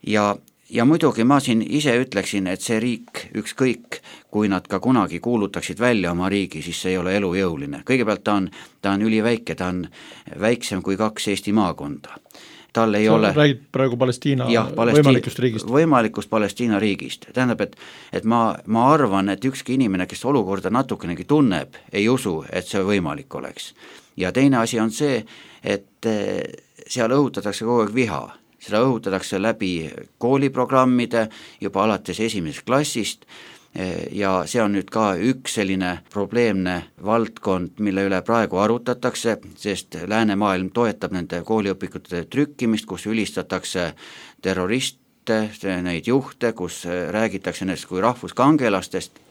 Ja, ja muidugi ma siin ise ütleksin, et see riik ükskõik, kui nad ka kunagi kuulutaksid välja oma riigi, siis see ei ole elujõuline. Kõigepealt ta on, ta on üliväike, ta on väiksem kui kaks Eesti maakonda. Tal ei sa ole räägid praegu Palestiina jah, Palesti... võimalikust riigist. Võimalikust Palestiina riigist. Tähendab, et, et ma, ma arvan, et ükski inimene, kes olukorda natukenegi tunneb, ei usu, et see võimalik oleks. Ja teine asi on see, et seal õhutatakse kogu aeg viha. Seda õhutatakse läbi kooliprogrammide juba alates esimesest klassist, ja see on nüüd ka üks selline probleemne valdkond, mille üle praegu arutatakse, sest läänemaailm toetab nende kooliõpikute trükkimist, kus ülistatakse terroriste, neid juhte, kus räägitakse nendest kui rahvuskangelastest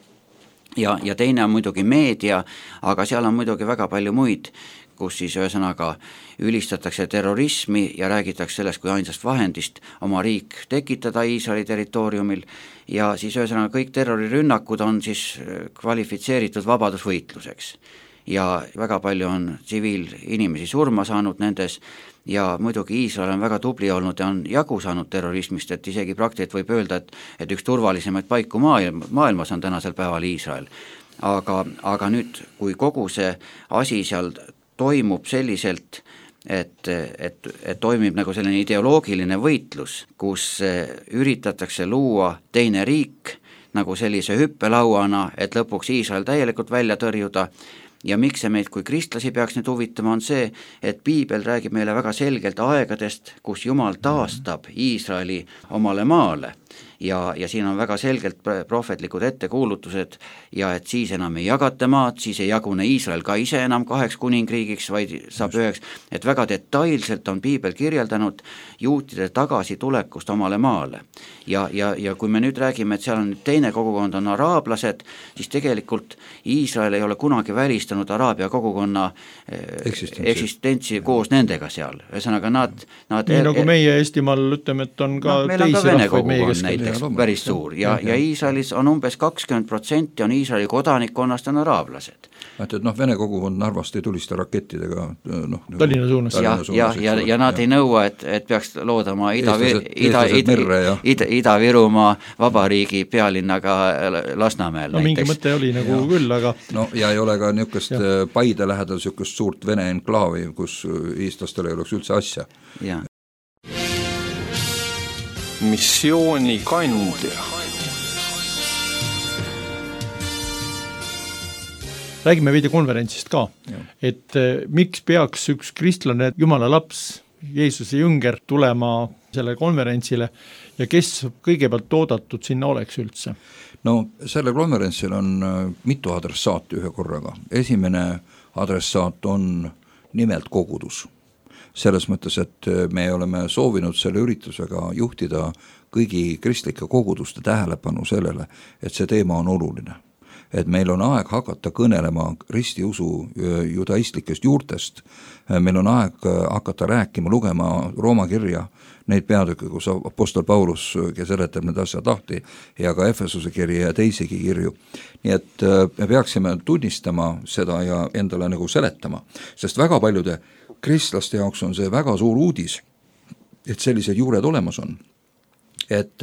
ja, ja teine on muidugi meedia, aga seal on muidugi väga palju muid, kus siis ühesõnaga ülistatakse terrorismi ja räägitakse sellest kui ainsast vahendist oma riik tekitada Iisraeli territooriumil ja siis ühesõnaga kõik terrorirünnakud on siis kvalifitseeritud vabadusvõitluseks. Ja väga palju on tsiviilinimesi surma saanud nendes ja muidugi Iisrael on väga tubli olnud ja on jagu saanud terrorismist, et isegi praktiliselt võib öelda, et, et üks turvalisemaid paiku maailm, maailmas on tänasel päeval Iisrael. Aga, aga nüüd, kui kogu see asi seal toimub selliselt, et, et, et toimib nagu selline ideoloogiline võitlus, kus üritatakse luua teine riik nagu sellise hüppelauana, et lõpuks Iisrael täielikult välja tõrjuda. Ja miks see meid kui kristlasi peaks nüüd huvitama on see, et piibel räägib meile väga selgelt aegadest, kus Jumal taastab Iisraeli omale maale. Ja, ja siin on väga selgelt prohvetlikud ettekuulutused ja et siis enam ei jagata maad, siis ei jagune Iisrael ka ise enam kaheks kuningriigiks, vaid saab üheks, et väga detailselt on piibel kirjeldanud juutide tagasitulekust omale maale. Ja, ja, ja kui me nüüd räägime, et seal on teine kogukond on araablased, siis tegelikult Iisrael ei ole kunagi välistanud Araabia kogukonna eksistentsi, eksistentsi koos nendega seal. Ühesõnaga nad, nad nii er, nagu meie Eestimaal ütleme, et on ka no, teisi rahvaid meie keskel. Päris suur ja, ja, ja Iisraelis on umbes kakskümmend protsenti on Iisraeli kodanikkonnast on araablased. Et, et noh, Vene kogukond Narvast ei tulista rakettidega noh, Tallinna suunas. Ja, ja, ja, ja nad ja. ei nõua, et, et peaks loodama Ida-Virumaa Ida, Ida, Ida, Ida vabariigi pealinnaga Lasnamäel. No mingi mõte oli nagu ja. küll, aga no ja ei ole ka niisugust Paide lähedal niisugust suurt Vene enklaavi, kus eestlastel ei oleks üldse asja. Ja. Missioonikandja. Räägime veidi konverentsist ka, ja. et miks peaks üks kristlane Jumala laps, Jeesuse jünger tulema selle konverentsile ja kes kõigepealt oodatud sinna oleks üldse? No selle konverentsil on mitu adressaati ühe korraga. Esimene adressaat on nimelt kogudus. Selles mõttes, et me oleme soovinud selle üritusega juhtida kõigi kristlike koguduste tähelepanu sellele, et see teema on oluline. et meil on aeg hakata kõnelema ristiusu judaistlikest juurtest, meil on aeg hakata rääkima, lugema Rooma kirja, neid peatükke, kus apostel Paulus, kes seletab need asjad lahti, ja ka Efesuse kirja ja teisigi kirju. Nii et me peaksime tunnistama seda ja endale nagu seletama, sest väga paljude kristlaste jaoks on see väga suur uudis, et sellised juured olemas on. Et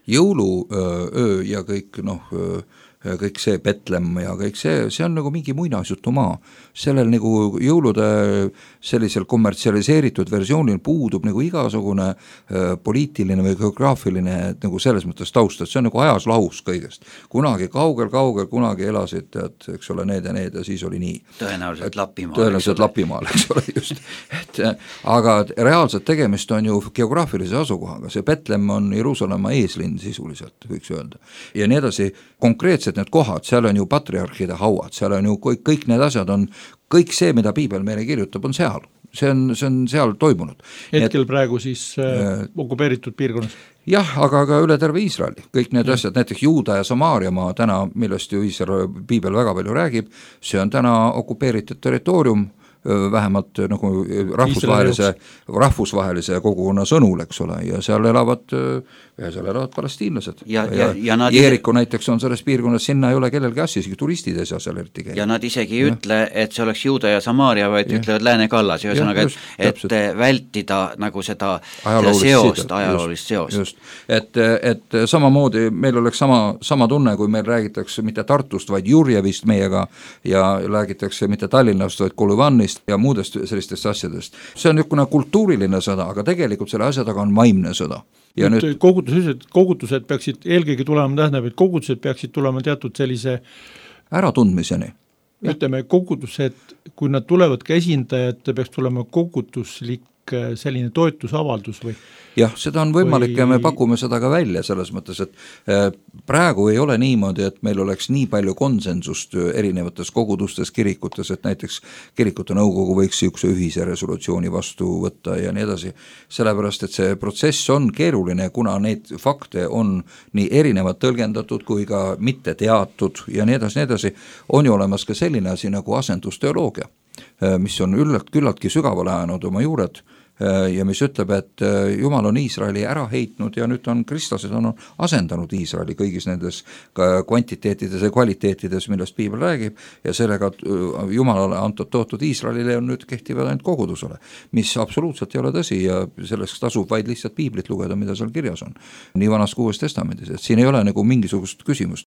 jõuluöö ja kõik, noh, kõik see Betlem ja kõik see, see on nagu mingi muinasjutu maa. Sellel nagu jõulude sellisel kommertsialiseeritud versioonil puudub nagu igasugune äh, poliitiline või geograafiline nagu selles mõttes taust, et see on nagu ajas lahus kõigest. Kunagi kaugel-kaugel, kunagi elasid, et, eks ole, need ja need ja siis oli nii. Tõenäoliselt Lapimaal. Tõenäoliselt Lapimaal, eks ole, just. Et, aga reaalselt tegemist on ju geograafilise asukohaga, see Betlem on Jeruusalemma eeslinn sisuliselt, võiks öelda. Ja nii edasi, konkreetselt need kohad, seal on ju patriarhide hauad, seal on ju kõik, kõik need asjad on, kõik see, mida piibel meile kirjutab, on seal. See on, see on seal toimunud. Hetkel et, praegu siis äh, okupeeritud piirkonnas? Jah, aga ka üle terve Iisraeli. Kõik need ja. asjad, näiteks Juuda ja Samaariamaa täna, millest ju Iisrael piibel väga palju räägib, see on täna okupeeritud territoorium, vähemalt nagu rahvusvahelise, rahvusvahelise kogukonna sõnul, eks ole, ja seal elavad, ja seal elavad palestiinlased. Ja, ja, ja, ja Jeeriku näiteks on selles piirkonnas, sinna ei ole kellelgi asja, isegi turistid ei saa seal eriti käia. Ja nad isegi ei ja. ütle, et see oleks Juuda ja Samaaria, vaid ja. ütlevad Lääne kallas, ühesõnaga, et, et vältida nagu seda, seda seost, ajaloolist seost. Just. Et, et samamoodi meil oleks sama, sama tunne, kui meil räägitakse mitte Tartust, vaid Jurjevist meiega ja räägitakse mitte Tallinnast, vaid Kolüvanist ja muudest sellistest asjadest. See on niisugune kultuuriline sõda, aga tegelikult selle asja taga on vaimne sõda. Ja nüüd, nüüd kogutused, kogutused peaksid eelkõige tulema, tähendab, et kogutused peaksid tulema teatud sellise äratundmiseni. Ütleme, kogutused, kui nad tulevad ka esindajad, peaks tulema kogutuslik selline toetusavaldus või? Jah, seda on võimalik või... ja me pakume seda ka välja selles mõttes, et praegu ei ole niimoodi, et meil oleks nii palju konsensust erinevates kogudustes, kirikutes, et näiteks kirikute nõukogu võiks niisuguse ühise resolutsiooni vastu võtta ja nii edasi, sellepärast, et see protsess on keeruline, kuna neid fakte on nii erinevad tõlgendatud kui ka mitte teatud ja nii edasi, nii edasi, on ju olemas ka selline asi nagu asendusteoloogia, mis on üllalt, küllaltki sügavale ajanud oma juured ja mis ütleb, et Jumal on Iisraeli ära heitnud ja nüüd on kristlased on asendanud Iisraeli kõigis nendes kvantiteetides ja kvaliteetides, millest piibel räägib ja sellega Jumalale antud tootud Iisraelile on nüüd kehtivad ainult kogudusele, mis absoluutselt ei ole tõsi ja selleks tasub vaid lihtsalt piiblit lugeda, mida seal kirjas on. Nii vanas kui Uues testamendis, et siin ei ole nagu mingisugust küsimust.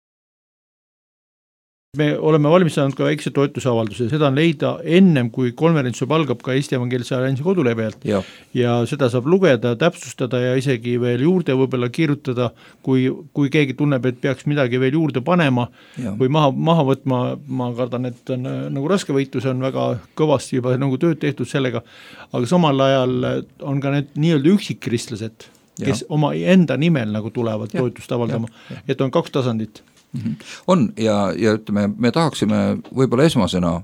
Me oleme valmistanud ka väikse toetusavalduse, seda on leida ennem, kui konverents algab ka Eesti Evangeelse Alliansi kodulehelt ja. ja seda saab lugeda, täpsustada ja isegi veel juurde võib-olla kirjutada, kui, kui keegi tunneb, et peaks midagi veel juurde panema ja. või maha, maha võtma, ma kardan, et on nagu raske võitlus, on väga kõvasti juba nagu tööd tehtud sellega, aga samal ajal on ka need nii-öelda üksikkristlased, kes ja. oma enda nimel nagu tulevad ja. toetust avaldama, ja. Ja. et on kaks tasandit. On ja, ja ütleme, me tahaksime võib-olla esmasena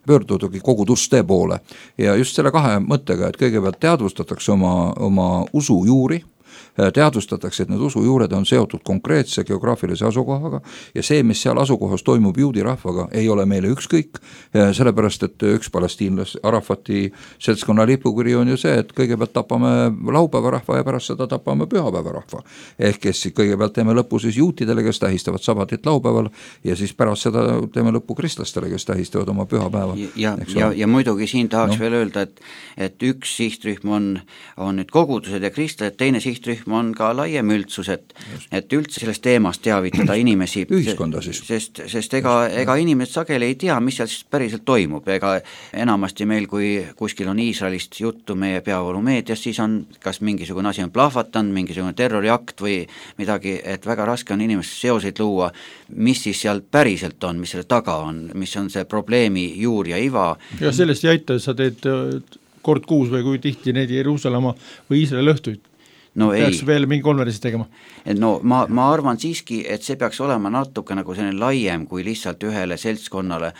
pöördudagi koguduste poole ja just selle kahe mõttega, et kõigepealt teadvustatakse oma, oma usu juuri, teadvustatakse, et need usujuured on seotud konkreetse geograafilise asukohaga ja see, mis seal asukohas toimub juudi rahvaga, ei ole meile ükskõik, sellepärast, et üks palestiinlas Arafati seltskonna lipukiri on ju see, et kõigepealt tapame laupäeva rahva ja pärast seda tapame pühapäeva rahva. Ehk kes kõigepealt teeme lõppu siis juutidele, kes tähistavad sabatit laupäeval ja siis pärast seda teeme lõppu kristlastele, kes tähistavad oma pühapäeva. Ja, ja, ja muidugi siin tahaks no. veel öelda, et, et üks sihtrühm on, on nüüd kogudused ja kristlased, teine sihtrühm on ka laiem üldsus, et, et üldse sellest teemast teavitada inimesi, ühiskonda siis. Sest, sest ega, ega inimesed sageli ei tea, mis seal siis päriselt toimub, ega enamasti meil, kui kuskil on Iisraelist juttu meie peavoolumeedias, siis on kas mingisugune asi on plahvatanud, mingisugune terroriakt või midagi, et väga raske on inimesed seoseid luua, mis siis seal päriselt on, mis selle taga on, mis on see probleemi juur ja iva. Ja sellest ei aita, sa teed kord kuus või kui tihti neid Jeruusalemma või Iisraeli õhtuid. no peaks ei. veel mingi konverentsi tegema? No ma, ma arvan siiski, et see peaks olema natuke nagu selline laiem kui lihtsalt ühele seltskonnale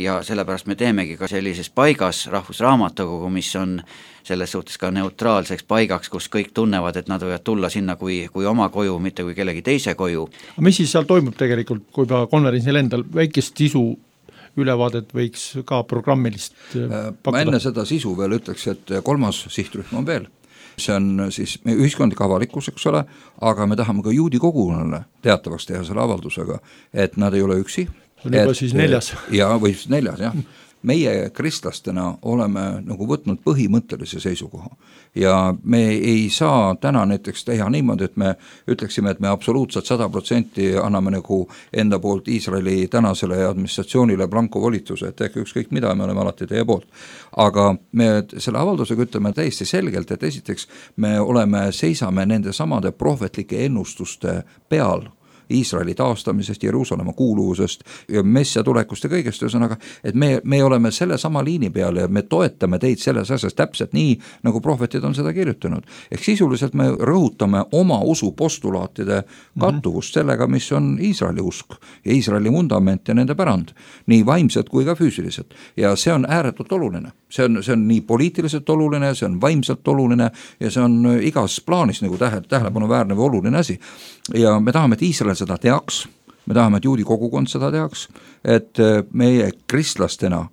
ja sellepärast me teemegi ka sellises paigas Rahvusraamatukogu, mis on selles suhtes ka neutraalseks paigaks, kus kõik tunnevad, et nad võivad tulla sinna kui, kui oma koju, mitte kui kellegi teise koju. Aga mis siis seal toimub tegelikult, kui juba konverentsil endal väikest sisu ülevaadet võiks ka programmilist pakkuda? Ma enne seda sisu veel ütleks, et kolmas sihtrühm on veel. See on siis ühiskondlik avalikkus, eks ole, aga me tahame ka juudi kogukonnale teatavaks teha selle avaldusega, et nad ei ole üksi. See on juba et, siis neljas. Ja, või siis neljas, jah. Meie kristlastena oleme nagu võtnud põhimõttelise seisukoha ja me ei saa täna näiteks teha niimoodi, et me ütleksime, et me absoluutselt sada protsenti anname nagu enda poolt Iisraeli tänasele administratsioonile blanko volituse, et tehke ükskõik mida, me oleme alati teie poolt. Aga me selle avaldusega ütleme täiesti selgelt, et esiteks me oleme, seisame nende samade prohvetlike ennustuste peal, Iisraeli taastamisest, Jeruusalemma kuuluvusest ja messia tulekust ja kõigest, ühesõnaga, et me, me oleme selle sama liini peal ja me toetame teid selles asjas täpselt nii, nagu prohvetid on seda kirjutanud. Ehk sisuliselt me rõhutame oma usu postulaatide kattuvust sellega, mis on Iisraeli usk ja Iisraeli vundament ja nende pärand, nii vaimselt kui ka füüsiliselt. Ja see on ääretult oluline. See on, see on nii poliitiliselt oluline, see on vaimselt oluline ja see on igas plaanis nagu tähe, tähelepanuväärne või oluline asi. Ja me tahame, et Iisrael seda teaks, me tahame, et juudi kogukond seda teaks, et meie kristlastena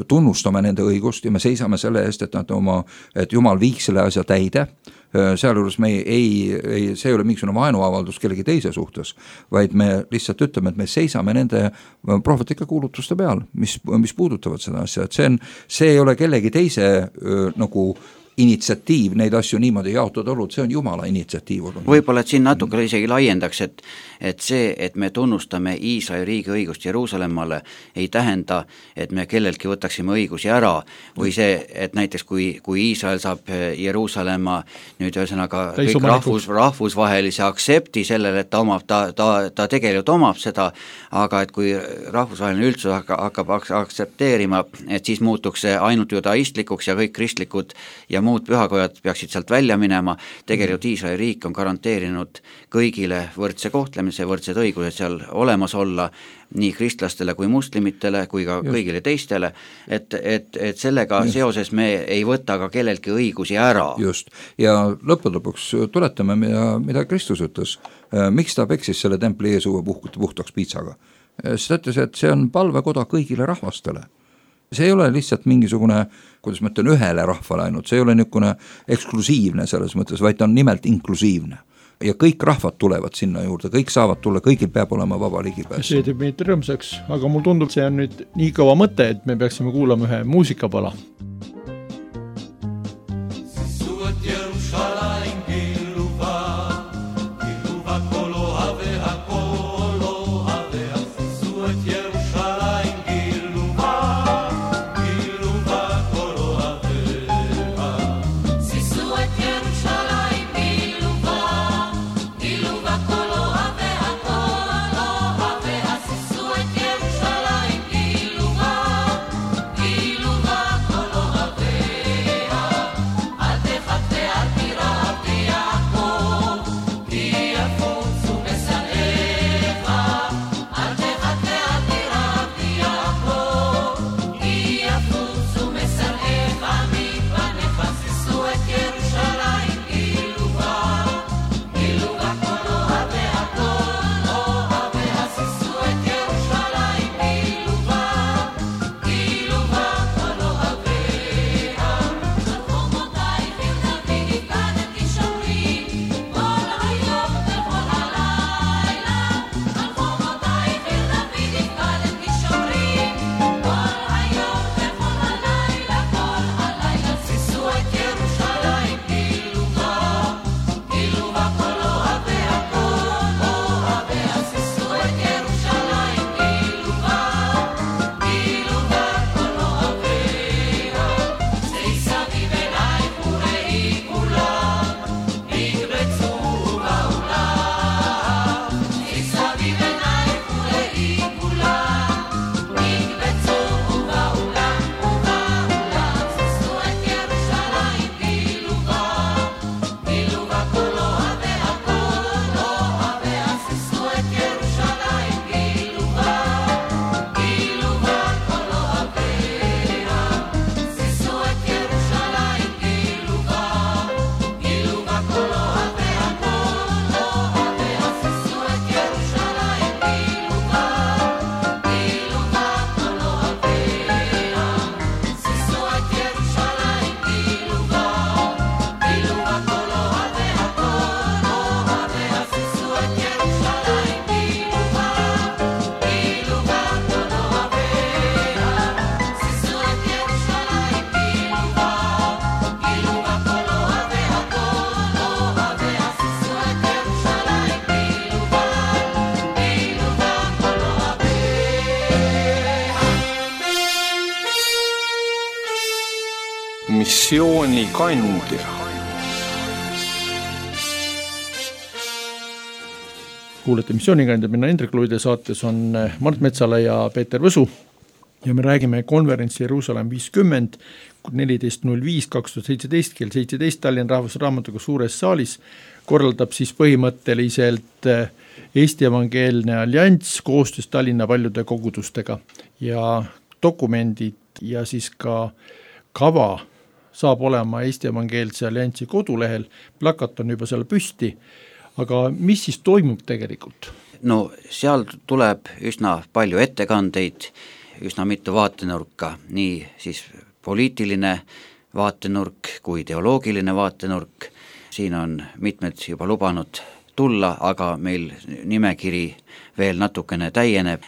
tunnustame nende õigust ja me seisame selle eest, et, nad oma, et Jumal viiks selle asja täide, sealjuures me ei, ei, see ei ole mingisugune vaenuavaldus kellegi teise suhtes, vaid me lihtsalt ütleme, et me seisame nende prohvetlike kuulutuste peal, mis, mis puudutavad seda asja, et see, on, see ei ole kellegi teise öö, nagu initsiatiiv neid asju niimoodi jaotada olnud, see on Jumala initsiatiiv olnud. Võib-olla, et siin natuke isegi laiendaks, et, et see, et me tunnustame Iisraeli riigi õigust Jeruusalemmale, ei tähenda, et me kelleltki võtaksime õigusi ära või see, et näiteks kui, kui Iisrael saab Jeruusalemma nüüd ühesõnaga kõik rahvus, rahvusvahelise aksepti sellele, et ta omab, ta, ta, ta tegelikult omab seda, aga et kui rahvusvaheline üldsus hakkab aksepteerima, et siis muutuks see ainult judaistlikuks ja kõik kristlikud ja muud pühakojad peaksid sealt välja minema, tegelikult Iisraeli riik on garanteerinud kõigile võrdse kohtlemise, võrdsed õigused seal olemas olla, nii kristlastele kui muslimitele kui ka Just. kõigile teistele, et, et, et sellega Just. seoses me ei võta ka kelleltki õigusi ära. Just, ja lõppude lõpuks tuletame, mida, mida Kristus ütles, miks ta peksis selle templi eesuve puht, puhtaks piitsaga. Siis ta ütles, et see on palvekoda kõigile rahvastele. See ei ole lihtsalt mingisugune, kuidas ma ütlen, ühele rahvale ainult, see ei ole niisugune eksklusiivne selles mõttes, vaid ta on nimelt inklusiivne. Ja kõik rahvad tulevad sinna juurde, kõik saavad tulla, kõigil peab olema vaba ligipääs. See teeb meid rõõmsaks, aga mul tundub, see on nüüd nii kõva mõte, et me peaksime kuulama ühe muusikapala. missioonikandja. Kuulete missioonikandja, minna Hendrik Luide saates on Mart Metsala ja Peeter Võsu ja me räägime konverentsi Jeruusalemm viiskümmend, neliteist null viis kaks tuhat seitseteist kell seitseteist Tallinna Rahvusraamatukogu suures saalis korraldab siis põhimõtteliselt Eesti Evangeelne Allianss koostöös Tallinna paljude kogudustega ja dokumendid ja siis ka kava saab olema Eesti Evangeelse Allianssi kodulehel, plakat on juba seal püsti. Aga mis siis toimub tegelikult? No seal tuleb üsna palju ettekandeid, üsna mitu vaatenurka, nii siis poliitiline vaatenurk kui teoloogiline vaatenurk. Siin on mitmed juba lubanud tulla, aga meil nimekiri veel natukene täieneb.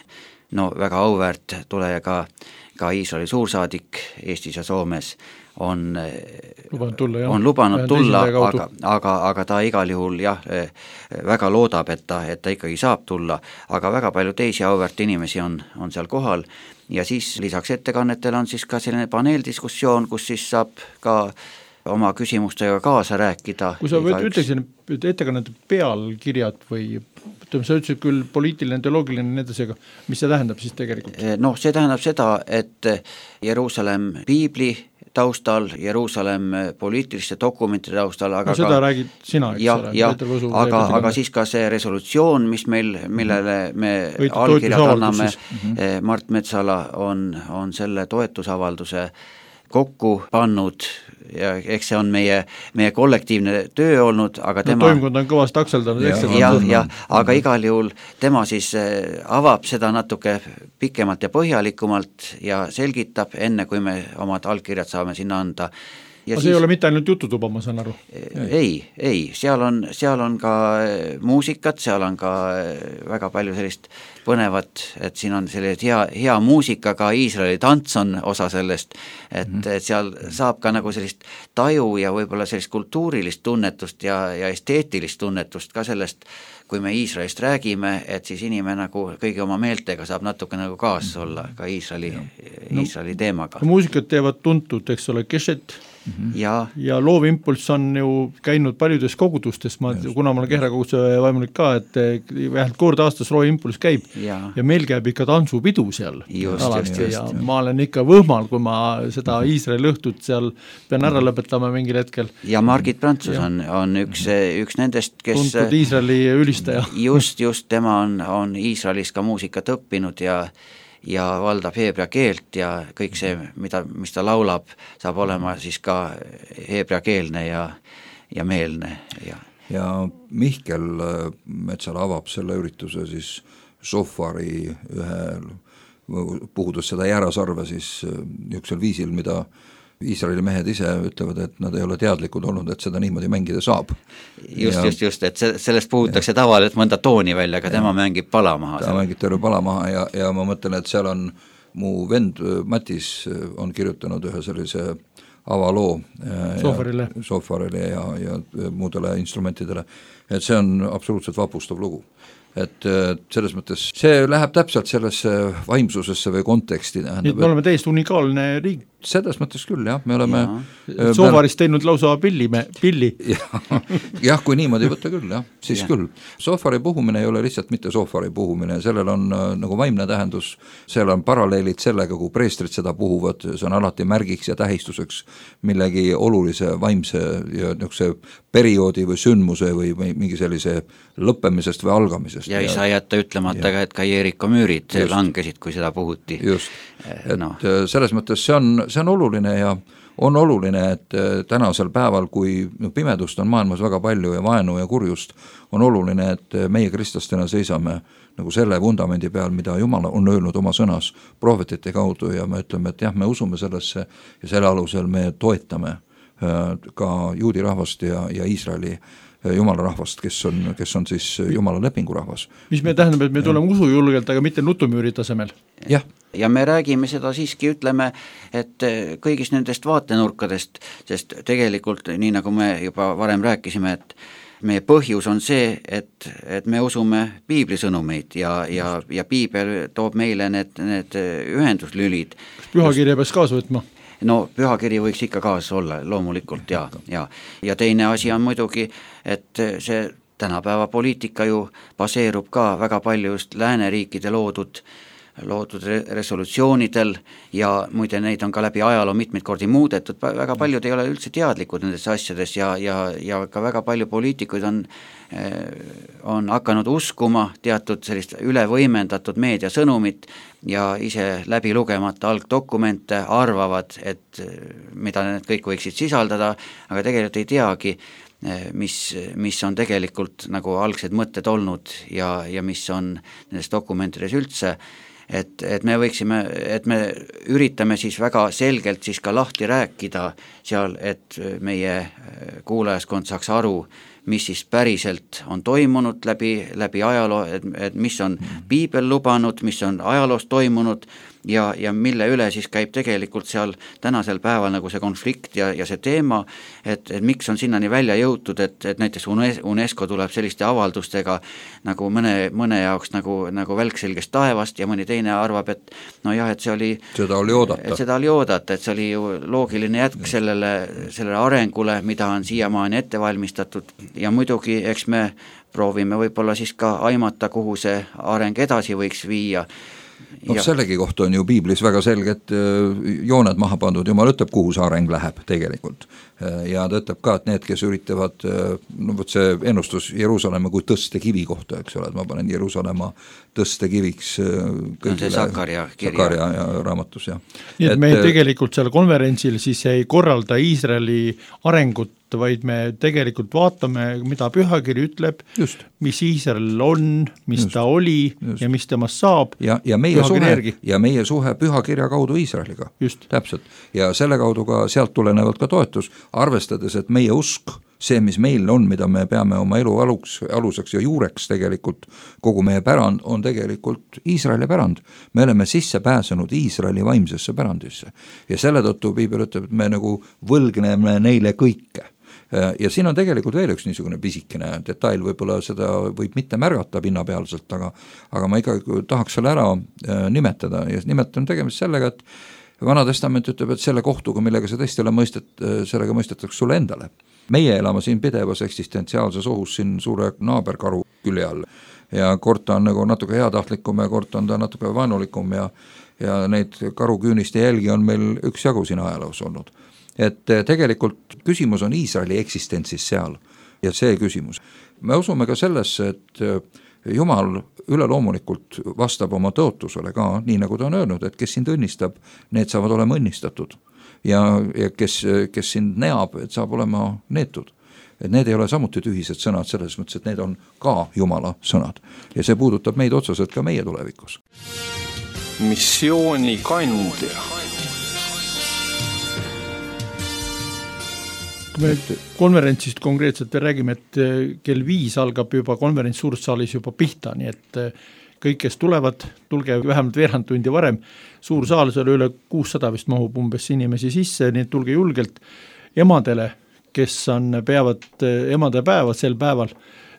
No väga auväärt tuleja ka, ka Iisraeli suursaadik Eestis ja Soomes on lubanud tulla, on lubanud tulla aga, aga, aga ta igal juhul jah, väga loodab, et ta, et ta ikkagi saab tulla, aga väga palju teisi auväärt inimesi on, on seal kohal ja siis lisaks ettekannetele on siis ka selline paneeldiskussioon, kus siis saab ka oma küsimustega kaasa rääkida. Kui sa ütleksin ettekannete pealkirjad või ütleme, sa ütlesid küll poliitiline, teoloogiline nendesega, mis see tähendab siis tegelikult? No see tähendab seda, et Jeruusalemm piibli taustal, Jeruusalemm poliitiliste dokumentide taustal, aga no seda ka, räägid sina, eks ja, ole. Ja, aga, aga siis ka see resolutsioon, mis meil, millele me Võitud allkirjad anname, mm-hmm. Mart Metsala on, on selle toetusavalduse kokku pannud ja eks see on meie, meie kollektiivne töö olnud, aga tema... No toimkond on kõvasti akseldanud. Ja, ja, ja, aga igal juhul tema siis avab seda natuke pikemalt ja põhjalikumalt ja selgitab enne, kui me omad allkirjad saame sinna anda. Ja aga see siis, ei ole mitte ainult jututuba, ma saan aru? Ei, ei, seal on, seal on ka muusikat, seal on ka väga palju sellist põnevat, et siin on selline hea, hea muusika, ka Iisraeli tants on osa sellest, et, mm-hmm. et seal saab ka nagu sellist taju ja võib-olla sellist kultuurilist tunnetust ja, ja esteetilist tunnetust ka sellest, kui me Iisraelist räägime, et siis inimene nagu kõigi oma meeltega saab natuke nagu kaas olla ka Iisraeli, no, Iisraeli teemaga. Muusikat teevad tuntud, eks ole, Keshet, Mm-hmm. ja, ja Loovimpulss on ju käinud paljudes kogudustes, ma, kuna ma olen Kehra koguduse vaimulik ka, et vähemalt kord aastas Loovimpulss käib ja. ja meil käib ikka tantsupidu seal just, alati just, just, ja just. ma olen ikka võhmal, kui ma seda Iisraeli õhtut seal pean ära lõpetama mingil hetkel. Ja Margit Prantsus ja. on, on üks, üks nendest, kes tuntud Iisraeli ülistaja. just, just tema on, on Iisraelis ka muusikat õppinud ja ja valdab heebrea keelt ja kõik see, mida, mis ta laulab, saab olema siis ka heebrea keelne ja, ja meelne. Ja, ja Mihkel Metsala avab selle ürituse siis Sofari ühel, puhudes seda jäärasarve siis niisugusel viisil, mida Iisraeli mehed ise ütlevad, et nad ei ole teadlikud olnud, et seda niimoodi mängida saab. Just, ja, just, just, et sellest puhutakse tavaliselt mõnda tooni välja, aga ja, tema mängib pala maha. Ta mängib terve pala maha ja, ja ma mõtlen, et seal on mu vend Matis on kirjutanud ühe sellise avaloo Sofarile, ja, sofarile ja, ja muudele instrumentidele, et see on absoluutselt vapustav lugu. Et selles mõttes see läheb täpselt sellesse vaimsusesse või konteksti. Nii, me oleme täiesti unikaalne riik. Selles mõttes küll, jah, me oleme ja. Sofarist teinud lausa pilli, me, pilli. jah, jah, kui niimoodi võtta küll, jah, siis ja. küll. Sofari puhumine ei ole lihtsalt mitte sofari puhumine, sellel on nagu vaimne tähendus, seal on paralleelid sellega, kui preestrid seda puhuvad, see on alati märgiks ja tähistuseks millegi olulise vaimse ja niisuguse perioodi või sündmuse või, või mingi sellise lõppemisest või algamisest. Ja ei saa jätta ütlemata ka, et ka Jeeriko müürid just. langesid, kui seda puhuti. Just, et no. selles mõttes see on see on oluline ja on oluline, et tänasel päeval, kui pimedust on maailmas väga palju ja vaenu ja kurjust, on oluline, et meie kristlastena seisame nagu selle vundamendi peal, mida Jumal on öelnud oma sõnas prohvetite kaudu ja me ütleme, et jah, me usume sellesse ja selle alusel me toetame ka juudi rahvast ja, ja Iisraeli Jumala rahvast, kes on, kes on siis Jumala lepingu rahvas. Mis me tähendab, et me tuleme usujulgelt, aga mitte nutumüüri tasemel? Jah. Ja me räägime seda siiski, ütleme, et kõigist nendest vaatenurkadest, sest tegelikult, nii nagu me juba varem rääkisime, et meie põhjus on see, et, et me usume piiblisõnumeid ja, ja, ja piibel toob meile need, need ühenduslülid. Pühakirja peaks kaasa võtma? no pühakiri võiks ikka kaasas olla, loomulikult ja, ja ja teine asi on muidugi, et see tänapäeva poliitika ju baseerub ka väga palju just lääneriikide loodud loodud resolutsioonidel ja muide neid on ka läbi ajaloo mitmeid kordi muudetud, väga paljud ei ole üldse teadlikud nendes asjades ja, ja, ja ka väga palju poliitikuid on, on hakanud uskuma teatud sellist ülevõimendatud meediasõnumit ja ise läbi lugemata algdokumente arvavad, et mida need kõik võiksid sisaldada, aga tegelikult ei teagi, mis, mis on tegelikult nagu algsed mõtted olnud ja, ja mis on nendes dokumentides üldse. Et, et me võiksime, et me üritame siis väga selgelt siis ka lahti rääkida seal, et meie kuulajaskond saaks aru, mis siis päriselt on toimunud läbi, läbi ajaloo, et, et mis on piibel lubanud, mis on ajaloos toimunud ja, ja mille üle siis käib tegelikult seal tänasel päeval nagu see konflikt ja, ja see teema, et, et miks on sinnani välja jõutud, et, et näiteks UNESCO tuleb selliste avaldustega nagu mõne, mõne jaoks nagu, nagu välkselgest taevast ja mõni teine arvab, et no jah, et see oli seda oli oodata, seda oli oodata, et see oli ju loogiline jätk sellele, sellele arengule, mida on siiamaani ette valmistatud ja muidugi eks me proovime võib-olla siis ka aimata, kuhu see areng edasi võiks viia. No sellegi kohta on ju piiblis väga selged jooned maha pandud, Jumal ütleb, kuhu see areng läheb tegelikult. Ja ta ütleb ka, et need, kes üritavad, no võt see ennustus Jeruusalemma kui tõstekivi kohta, eks ole, et ma panen Jeruusalemma tõstekiviks kõigile no Sakaria, Sakaria ja raamatus. Ja. Nii et, et me tegelikult seal konverentsil siis ei korralda Iisraeli arengut, vaid me tegelikult vaatame, mida pühakiri ütleb, just. Mis Iisrael on, mis just. Ta oli just. Ja mis temast saab. Ja, ja, meie suhe, ja meie suhe pühakirja kaudu Iisraeliga. Just. Täpselt. Ja selle kaudu ka sealt tulenevalt ka toetus, arvestades, et meie usk, see, mis meil on, mida me peame oma elu aluks, aluseks ja juureks tegelikult, kogu meie pärand on tegelikult Iisraeli pärand. Me oleme sisse pääsenud Iisraeli vaimsesse pärandisse. Ja selle tõttu piibel ütleb, et me nagu võlgneme neile kõike. Ja siin on tegelikult veel üks niisugune pisikene detail, võib-olla seda võib mitte märgata pinnapealselt, aga, aga ma ikkagi tahaks selle ära nimetada ja nimetan tegemist sellega, et Vana Testament ütleb, et selle kohtuga, millega see tõesti ole mõistet, sellega mõistetakse sulle endale. Meie elame siin pidevas eksistentsiaalses ohus siin suure naaberkaru külje all ja kord ta on nagu natuke heatahtlikum ja kord on ta natuke vaenulikum ja, ja neid karuküüniste jälgi on meil üks jagu siin ajaloos olnud. Et tegelikult küsimus on Iisraeli eksistentsis seal ja see küsimus. Me usume ka sellesse, et Jumal üleloomulikult vastab oma tõotusele ka, nii nagu ta on öelnud, et kes sind õnnistab, need saavad olema õnnistatud ja, ja kes, kes sind neab, et saab olema neetud. Et need ei ole samuti tühised sõnad selles mõttes, et need on ka Jumala sõnad ja see puudutab meid otseselt ka meie tulevikus. Missiooni kandja. Kui me nüüd konverentsist konkreetselt räägime, et kell viis algab juba konverents suursaalis juba pihta, nii et kõik, kes tulevad, tulge vähemalt veerand tundi varem, suur saal, seal üle kuussada vist mahub umbes inimesi sisse, nii et tulge julgelt emadele, kes on, peavad emadepäeva sel päeval,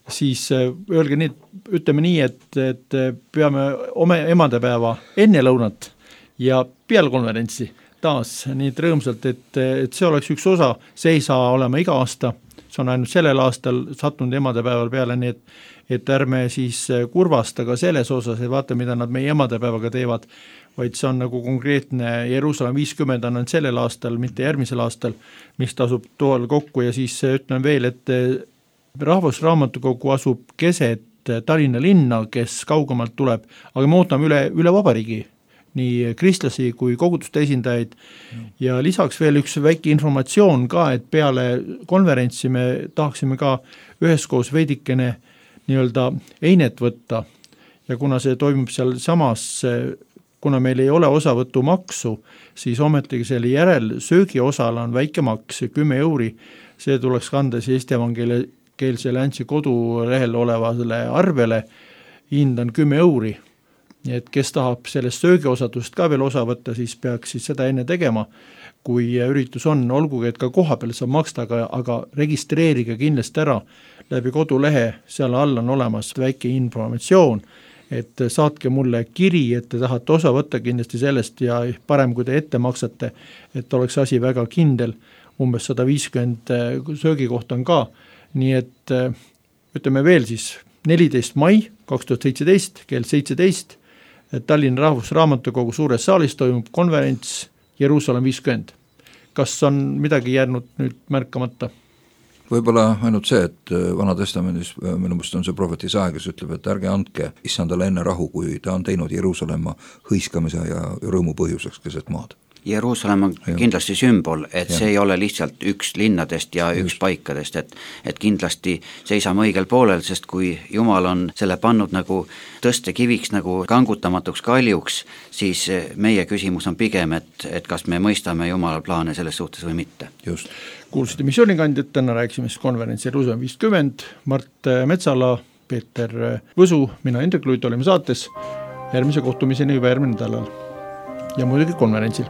siis öelge nii, ütleme nii, et, et peame oma emadepäeva enne lõunat ja peale konverentsi taas nii rõõmsalt, et, et see oleks üks osa, see ei saa olema iga aasta, see on ainult sellel aastal sattunud emadepäeval peale, nii et, et ärme siis kurvasta ka selles osas, et vaata, mida nad meie emadepäevaga teevad, vaid see on nagu konkreetne Jeruusalemm viiskümmend on sellel aastal, mitte järgmisel aastal, mis tasub toal kokku ja siis ütlen veel, et Rahvusraamatukogu asub keset Tallinna linna, kes kaugemalt tuleb, aga me ootame üle, üle vabariigi, nii kristlasi kui koguduste esindajaid ja lisaks veel üks väike informatsioon ka, et peale konverentsi me tahaksime ka üheskoos veidikene nii-öelda einet võtta ja kuna see toimub seal samas, kuna meil ei ole osavõtumaksu, siis ometigi selle järel söögi osal on väike maks, kümme euri, see tuleks kanda siis Eesti evangeelsele Antsi kodulehel olevale arvele, hind on kümme euri. Nii et kes tahab sellest söögiosadust ka veel osa võtta, siis peaks siis seda enne tegema, kui üritus on, olgugi, et ka koha peal saab maksta, aga, aga registreerige kindlasti ära läbi kodulehe, seal all on olemas väike informatsioon, et saatke mulle kiri, et te tahate osa võtta kindlasti sellest ja parem, kui te ette maksate, et oleks asi väga kindel, umbes sada viiskümmend söögikohta on ka, nii et ütleme veel siis neliteist mai kaks tuhat seitseteist kell seitseteist Tallinna Rahvusraamatukogu suures saalis toimub konverents Jeruusalemm viiskümmend. Kas on midagi jäänud nüüd märkamata? Võib-olla ainult see, et Vana Testamendis minu mõist on see prohvet Isaia, kes ütleb, et ärge andke issandale enne rahu, kui ta on teinud Jeruusalemma hõiskamise ja rõõmu põhjuseks keset maad. Jeruusalemm on ja. kindlasti sümbol, et ja. see ei ole lihtsalt üks linnadest ja Just. üks paikadest, et, et kindlasti seisame õigel poolel, sest kui Jumal on selle pannud nagu tõstekiviks, nagu kangutamatuks kaljuks, siis meie küsimus on pigem, et, et kas me mõistame Jumala plaane selles suhtes või mitte. Just. Kuulsite missioonikandjat, täna rääkisime siis konverentsi Jeruusalemm viiskümmend, Mart Metsala, Peeter Võsu, mina Indrek Luit olime saates, järgmise kohtumiseni juba järgmine nädalal ja muidugi konverentsil.